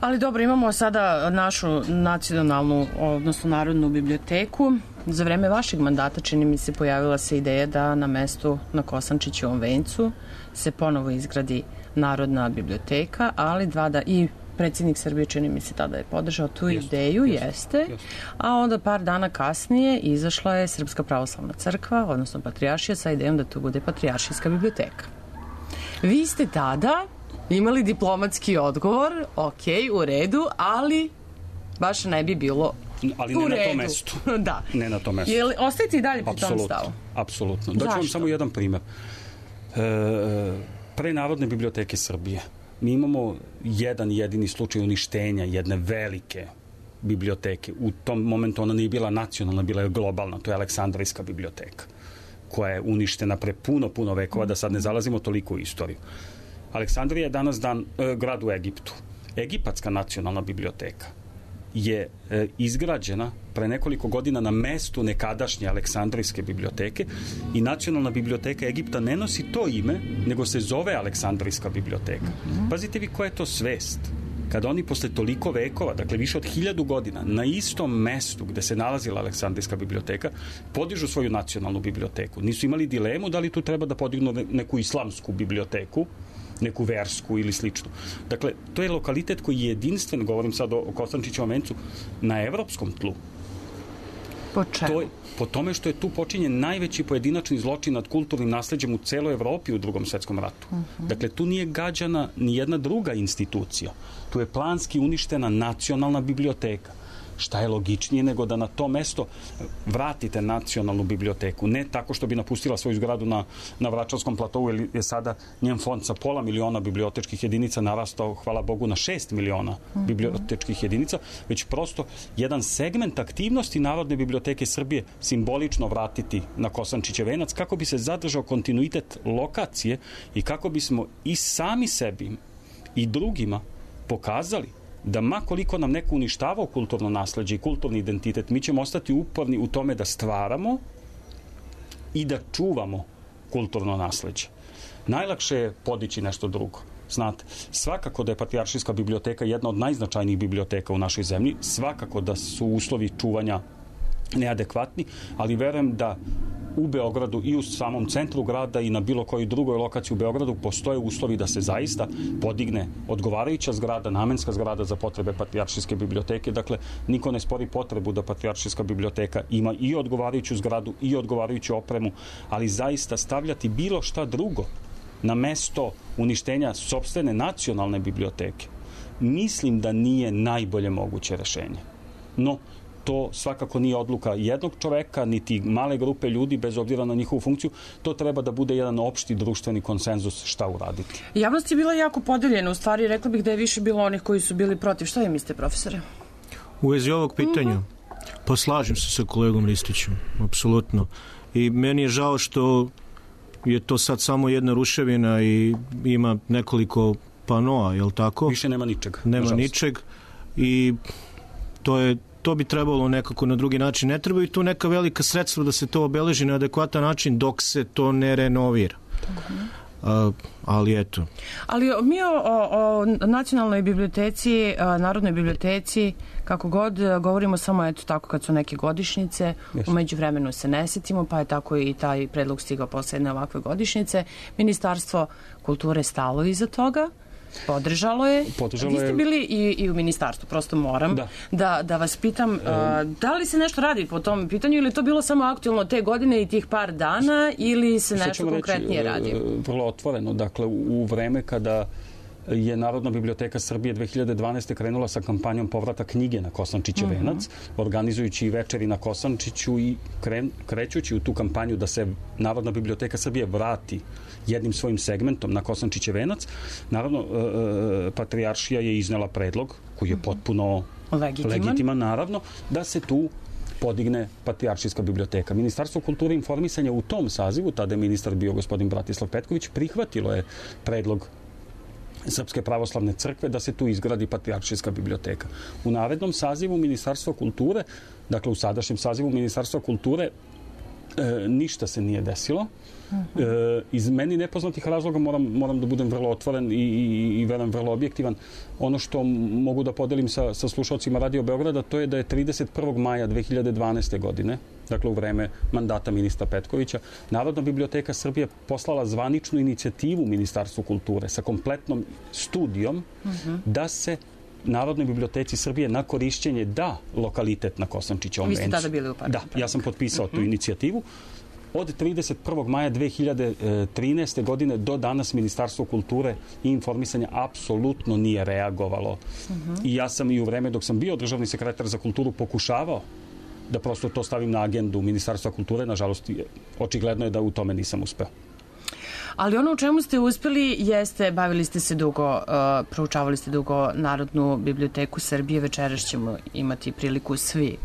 Ali dobro, imamo sada našu nacionalnu, odnosno Narodnu biblioteku. Za vreme vašeg mandata, čini mi se, pojavila se ideja da na mestu na Kosančićevom vencu se ponovo izgradi Narodna biblioteka, ali dva da i predsjednik Srbije, čini mi se, tada je podržao tu jeste, ideju, jeste, jeste, jeste, a onda par dana kasnije izašla je Srpska pravoslavna crkva, odnosno Patrijaršija, sa idejom da to bude Patrijaršijska biblioteka. Vi ste tada imali diplomatski odgovor, ok, u redu, ali baš ne bi bilo ali ne u na redu. tom mestu. Da. Ne na tom mestu. Jel, ostajete i dalje pri Absolutno, tom stavu? Apsolutno. Daću vam samo jedan primjer. E, pre Narodne biblioteke Srbije mi imamo jedan jedini slučaj uništenja jedne velike biblioteke. U tom momentu ona nije bila nacionalna, bila je globalna. To je Aleksandrijska biblioteka, koja je uništena pre puno, puno vekova, da sad ne zalazimo toliko u istoriju. Aleksandrija je danas dan, e, grad u Egiptu. Egipatska nacionalna biblioteka je e, izgrađena pre nekoliko godina na mestu nekadašnje Aleksandrijske biblioteke i Nacionalna biblioteka Egipta ne nosi to ime, nego se zove Aleksandrijska biblioteka. Pazite vi koja je to svest. Kada oni posle toliko vekova, dakle više od hiljadu godina, na istom mestu gde se nalazila Aleksandrijska biblioteka, podižu svoju nacionalnu biblioteku. Nisu imali dilemu da li tu treba da podignu neku islamsku biblioteku, neku versku ili sličnu. Dakle, to je lokalitet koji je jedinstven, govorim sad o Kosančićevom vencu, na evropskom tlu. Po čemu? To je, po tome što je tu počinjen najveći pojedinačni zločin nad kulturnim nasleđem u celoj Evropi u Drugom svetskom ratu. Uh-huh. Dakle, tu nije gađana ni jedna druga institucija. Tu je planski uništena nacionalna biblioteka. Šta je logičnije nego da na to mesto vratite nacionalnu biblioteku, ne tako što bi napustila svoju zgradu na, na Vračarskom platovu, jer je sada njen fond sa pola miliona bibliotečkih jedinica narastao, hvala Bogu, na šest miliona uh-huh. bibliotečkih jedinica, već prosto jedan segment aktivnosti Narodne biblioteke Srbije simbolično vratiti na Kosančićev venac, kako bi se zadržao kontinuitet lokacije i kako bismo i sami sebi i drugima pokazali da ma koliko nam neko uništavao kulturno nasleđe i kulturni identitet, mi ćemo ostati uporni u tome da stvaramo i da čuvamo kulturno nasleđe. Najlakše je podići nešto drugo. Znate, svakako da je Patrijaršijska biblioteka jedna od najznačajnijih biblioteka u našoj zemlji, svakako da su uslovi čuvanja neadekvatni, ali verujem da u Beogradu i u samom centru grada i na bilo kojoj drugoj lokaciji u Beogradu postoje uslovi da se zaista podigne odgovarajuća zgrada, namenska zgrada za potrebe Patrijaršijske biblioteke. Dakle, niko ne spori potrebu da Patrijaršijska biblioteka ima i odgovarajuću zgradu i odgovarajuću opremu, ali zaista stavljati bilo šta drugo na mesto uništenja sopstvene nacionalne biblioteke, mislim da nije najbolje moguće rešenje. No, to svakako nije odluka jednog čoveka, niti male grupe ljudi, bez obzira na njihovu funkciju. To treba da bude jedan opšti društveni konsenzus šta uraditi. Javnost je bila jako podeljena. U stvari, rekla bih da je više bilo onih koji su bili protiv. Šta vi mislite, profesore? U vezi ovog pitanja, uh-huh. pa slažem se sa kolegom Ristićem, apsolutno. I meni je žao što je to sad samo jedna ruševina i ima nekoliko panoa, je li tako? Više nema ničeg. Nema nažalost. ničeg i to je to bi trebalo nekako na drugi način. Ne trebaju tu neka velika sredstva da se to obeleži na adekvatan način dok se to ne renovira. A, ali eto. Ali mi o, o, o nacionalnoj biblioteci, Narodnoj biblioteci, kako god govorimo samo eto tako kad su neke godišnjice, yes. U međuvremenu se ne setimo, pa je tako i taj predlog stigao posle jedne ovakve godišnjice. Ministarstvo kulture stalo iza toga, podržalo je. Podržalo Vi ste bili i, i u ministarstvu, prosto moram da, da, da vas pitam, a, da li se nešto radi po tom pitanju ili to bilo samo aktualno te godine i tih par dana ili se nešto konkretnije radi? Vrlo otvoreno, dakle u vreme kada je Narodna biblioteka Srbije dve hiljade dvanaeste. krenula sa kampanjom povrata knjige na Kosančićev uh -huh. venac, organizujući večeri na Kosančiću i kren, krećući u tu kampanju da se Narodna biblioteka Srbije vrati jednim svojim segmentom na Kosančićev venac. Naravno, e, Patrijaršija je iznela predlog koji je potpuno legitiman, legitiman naravno, da se tu podigne Patrijaršijska biblioteka. Ministarstvo kulture i informisanja u tom sazivu, tada je ministar bio gospodin Bratislav Petković, prihvatilo je predlog Srpske pravoslavne crkve da se tu izgradi Patrijaršijska biblioteka. U narednom sazivu Ministarstva kulture, dakle u sadašnjem sazivu Ministarstva kulture, e, ništa se nije desilo. E, iz meni nepoznatih razloga moram, moram da budem vrlo otvoren i, i, i verujem vrlo objektivan. Ono što mogu da podelim sa, sa slušalcima Radio Beograda, to je da je trideset prvog maja dve hiljade dvanaeste. godine, dakle u vreme mandata ministra Petkovića, Narodna biblioteka Srbije poslala zvaničnu inicijativu Ministarstvu kulture sa kompletnom studijom uh-huh. da se Narodnoj biblioteci Srbije na korišćenje da lokalitet na Kosančićevom vencu. Vi ste tada bili u parlamentu. Da, ja sam potpisao uh-huh. tu inicijativu. Od trideset prvog maja dve hiljade trinaeste. godine do danas Ministarstvo kulture i informisanja apsolutno nije reagovalo. Uh-huh. I ja sam i u vreme dok sam bio državni sekretar za kulturu pokušavao da prosto to stavim na agendu Ministarstva kulture. Nažalost, očigledno je da u tome nisam uspeo. Ali ono u čemu ste uspeli jeste, bavili ste se dugo, uh, proučavali ste dugo Narodnu biblioteku Srbije. Večeras ćemo imati priliku svi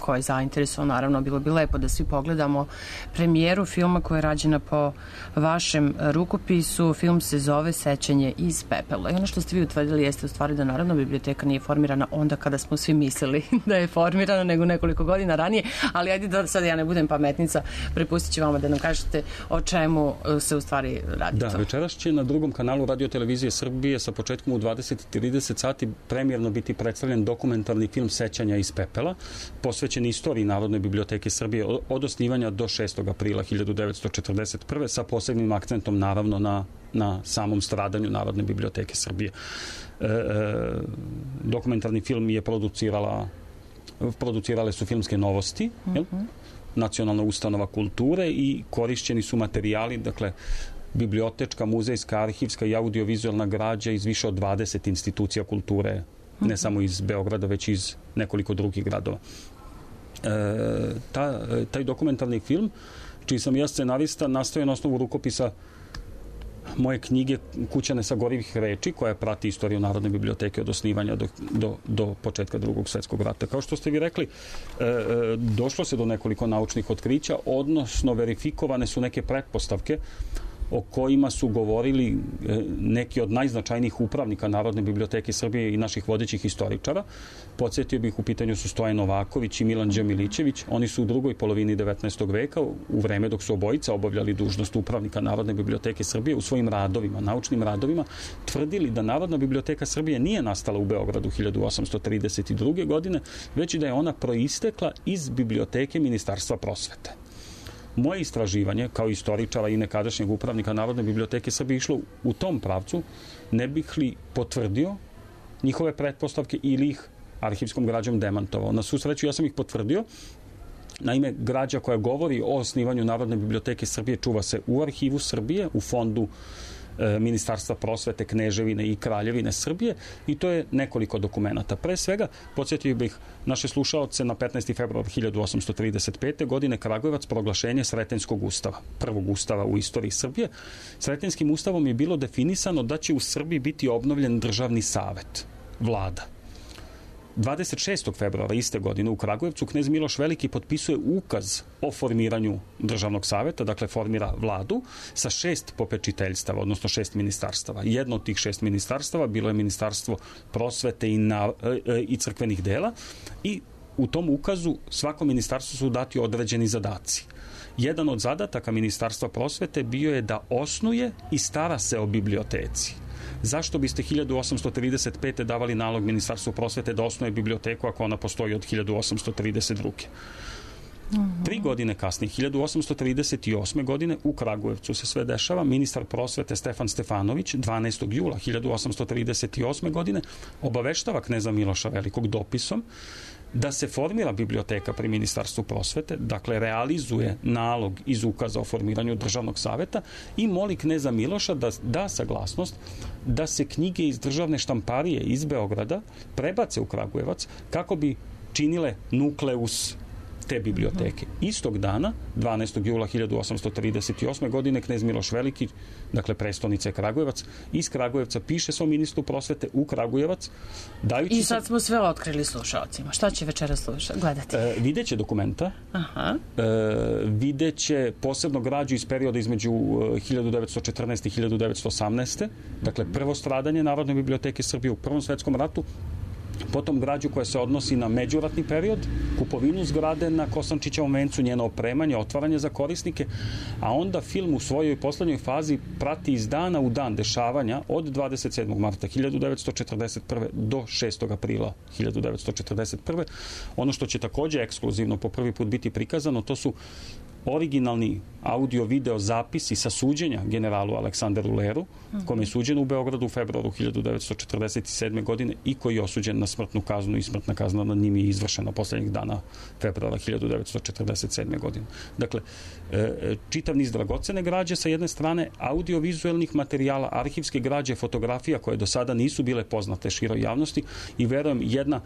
ko je zainteresovan, naravno bilo bi lepo da svi pogledamo premijeru filma koja je rađena po vašem rukopisu. Film se zove Sećanje iz pepela. I ono što ste vi utvrdili jeste u stvari da Narodna biblioteka nije formirana onda kada smo svi mislili da je formirana, nego nekoliko godina ranije, ali ajde da sad ja ne budem pametnica, prepustit ću vama da nam kažete o čemu se u stvari radi da, to. Večeras će na drugom kanalu Radio televizije Srbije sa početkom u dvadeset i trideset sati premijerno biti predstavljen dokumentarni film Sećanja iz pepela, posvećen istoriji Narodne biblioteke Srbije od osnivanja do šestog aprila hiljadu devetsto četrdeset prve. sa posebnim akcentom naravno na, na samom stradanju Narodne biblioteke Srbije. E, e, dokumentarni film je producirala producirale su Filmske novosti, uh-huh. jel? Nacionalna ustanova kulture i korišćeni su materijali, dakle bibliotečka, muzejska, arhivska i audiovizualna građa iz više od dvadeset institucija kulture, uh-huh. ne samo iz Beograda, već iz nekoliko drugih gradova. E, ta, taj dokumentarni film, čiji sam ja scenarista, nastoje na osnovu rukopisa moje knjige Kućane sa gorivih reči, koja prati istoriju Narodne biblioteke od osnivanja do, do, do početka Drugog svjetskog rata. Kao što ste vi rekli, e, došlo se do nekoliko naučnih otkrića, odnosno verifikovane su neke pretpostavke o kojima su govorili neki od najznačajnijih upravnika Narodne biblioteke Srbije i naših vodećih historičara. Podsjetio bih, u pitanju su Stojan Novaković i Milan Đemilićević. Oni su u drugoj polovini devetnaestog veka, u vreme dok su obojica obavljali dužnost upravnika Narodne biblioteke Srbije, u svojim radovima, naučnim radovima, tvrdili da Narodna biblioteka Srbije nije nastala u Beogradu hiljadu osamsto trideset druge. godine, već da je ona proistekla iz biblioteke Ministarstva prosvete. Moje istraživanje, kao istoričara i nekadašnjeg upravnika Narodne biblioteke Srbije, išlo u tom pravcu, ne bih li potvrdio njihove pretpostavke ili ih arhivskom građom demantovao. Na svu sreću, ja sam ih potvrdio. Naime, građa koja govori o osnivanju Narodne biblioteke Srbije čuva se u Arhivu Srbije, u fondu Ministarstva prosvete, Kneževine i Kraljevine Srbije, i to je nekoliko dokumenata. Pre svega, podsjetio bih naše slušaoce na petnaesti februar hiljadu osamsto trideset pete. godine Kragujevac, proglašenje Sretenjskog ustava, prvog ustava u istoriji Srbije. Sretenjskim ustavom je bilo definisano da će u Srbiji biti obnovljen državni savet, vlada. dvadeset šestog februara iste godine u Kragujevcu knez Miloš Veliki potpisuje ukaz o formiranju državnog saveta, dakle formira vladu sa šest popečiteljstava, odnosno šest ministarstava. Jedno od tih šest ministarstava bilo je Ministarstvo prosvete i, na, e, i crkvenih dela, i u tom ukazu svako ministarstvo su dati određeni zadaci. jedan od zadataka Ministarstva prosvete bio je da osnuje i stara se o biblioteci. Zašto biste hiljadu osamsto trideset pete. davali nalog Ministarstvu prosvete da osnuje biblioteku ako ona postoji od hiljadu osamsto trideset druge. Mm-hmm. Tri godine kasnije, hiljadu osamsto trideset osme. godine, u Kragujevcu se sve dešava. Ministar prosvete Stefan Stefanović dvanaestog jula hiljadu osamsto trideset osme. godine obaveštava kneza Miloša Velikog dopisom da se formira biblioteka pri Ministarstvu prosvete, dakle realizuje nalog iz ukaza o formiranju državnog saveta i moli kneza Miloša da da saglasnost da se knjige iz državne štamparije iz Beograda prebace u Kragujevac kako bi činile nukleus te biblioteke. Istog dana, dvanaestog jula hiljadu osamsto trideset osme. godine, knez Miloš Veliki, dakle prestolnice Kragujevac, iz Kragujevca piše svom ministru prosvete u Kragujevac. Dajući I sad smo sve otkrili slušalcima. Šta će večera slušati, gledati? E, videće dokumenta, Aha. E, videće posebno građu iz perioda između hiljadu devetsto četrnaeste. i hiljadu devetsto osamnaeste. Dakle, prvo stradanje Narodne biblioteke Srbije u Prvom svetskom ratu, potom građu koja se odnosi na međuratni period, kupovinu zgrade na Kosančićevom vencu, njeno opremanje, otvaranje za korisnike, a onda film u svojoj poslednjoj fazi prati iz dana u dan dešavanja od dvadeset sedmog marta hiljadu devetsto četrdeset prve. do šestog aprila hiljadu devetsto četrdeset prve. Ono što će takođe ekskluzivno po prvi put biti prikazano, to su originalni audio-video zapisi sa suđenja generalu Aleksanderu Leru, kome je suđen u Beogradu u februaru hiljadu devetsto četrdeset sedme. godine i koji je osuđen na smrtnu kaznu i smrtna kazna nad njim je izvršena poslednjih dana februara hiljadu devetsto četrdeset sedme. godine. Dakle, čitav niz dragocene građe sa jedne strane, audio-vizuelnih materijala, arhivske građe, fotografija koje do sada nisu bile poznate široj javnosti i verujem jedna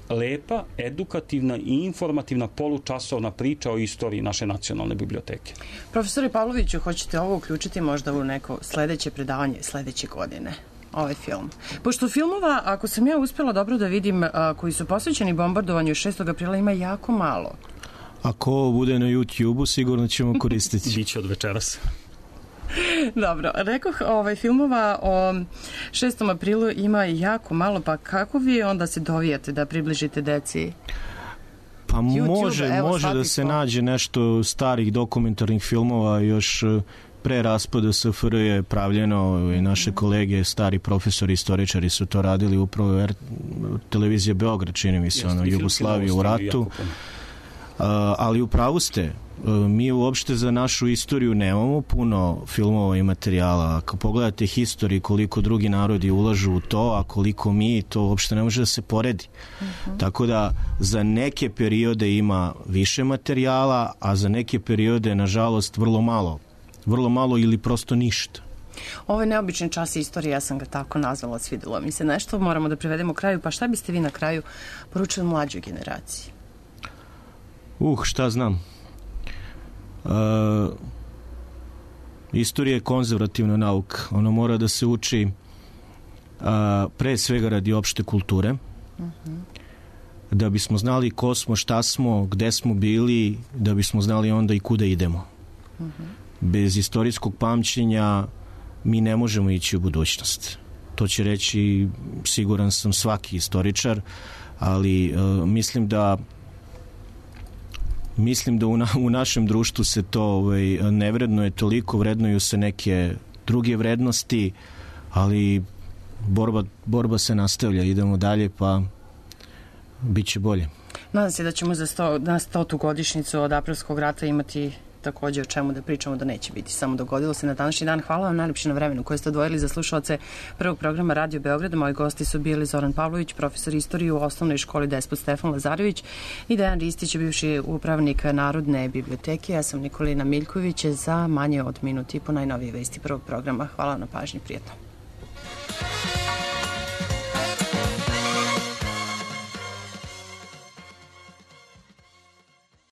lepa, edukativna i informativna polučasovna priča o istoriji naše nacionalne biblioteke. Profesore Pavloviću, hoćete ovo uključiti možda u neko sledeće predavanje sledeće godine? Ovaj film. Pošto filmova, ako sam ja uspjela dobro da vidim, a, koji su posvećeni bombardovanju šestog aprila, ima jako malo. Ako ovo bude na YouTube-u, sigurno ćemo koristiti. Biće od večeras. Dobro, rekoh, ovaj, filmova o šestom aprilu ima jako malo, pa kako vi onda se dovijate da približite deci? Pa YouTube, može, evo, može da se to. nađe nešto starih dokumentarnih filmova, još pre raspada S F R je pravljeno i naše kolege, stari profesori, istoričari su to radili upravo R... televizija Beograd, čini mi se, ono, Jugoslaviju u ratu. Uh, ali u pravu ste, mi uopšte za našu istoriju nemamo puno filmova i materijala. Ako pogledate historiju koliko drugi narodi ulažu u to, a koliko mi, to uopšte ne može da se poredi. Uh-huh. Tako da za neke periode ima više materijala, a za neke periode, nažalost, vrlo malo. Vrlo malo ili prosto ništa. Ovo je neobičan čas istorije, ja sam ga tako nazvala, svidjelo mi se nešto, moramo da privedemo kraju, pa šta biste vi na kraju poručili mlađoj generaciji? Uh, šta znam. Uh, istorija je konzervativna nauka. Ona mora da se uči uh, pre svega radi opšte kulture. Uh-huh. Da bismo znali ko smo, šta smo, gde smo bili, da bismo znali onda i kuda idemo. Uh-huh. Bez istorijskog pamćenja mi ne možemo ići u budućnost. To će reći, siguran sam, svaki istoričar, ali uh, mislim da Mislim da u, na, u našem društvu se to ovaj, ne vrednuje toliko, vrednuju se neke druge vrednosti, ali borba, borba se nastavlja, idemo dalje, pa bit će bolje. Nadam se da ćemo za sto, na stotu godišnjicu od aprilskog rata imati takođe o čemu da pričamo, da neće biti samo dogodilo se na današnji dan. Hvala vam najlepše na vremenu koje ste odvojili za slušalce prvog programa Radio Beograda. Moji gosti su bili Zoran Pavlović, profesor istorije u osnovnoj školi Despot Stefan Lazarević i Dejan Ristić, bivši upravnik Narodne biblioteke. Ja sam Nikolina Miljković za manje od minuti po najnovije vesti prvog programa. Hvala na pažnji, prijetno.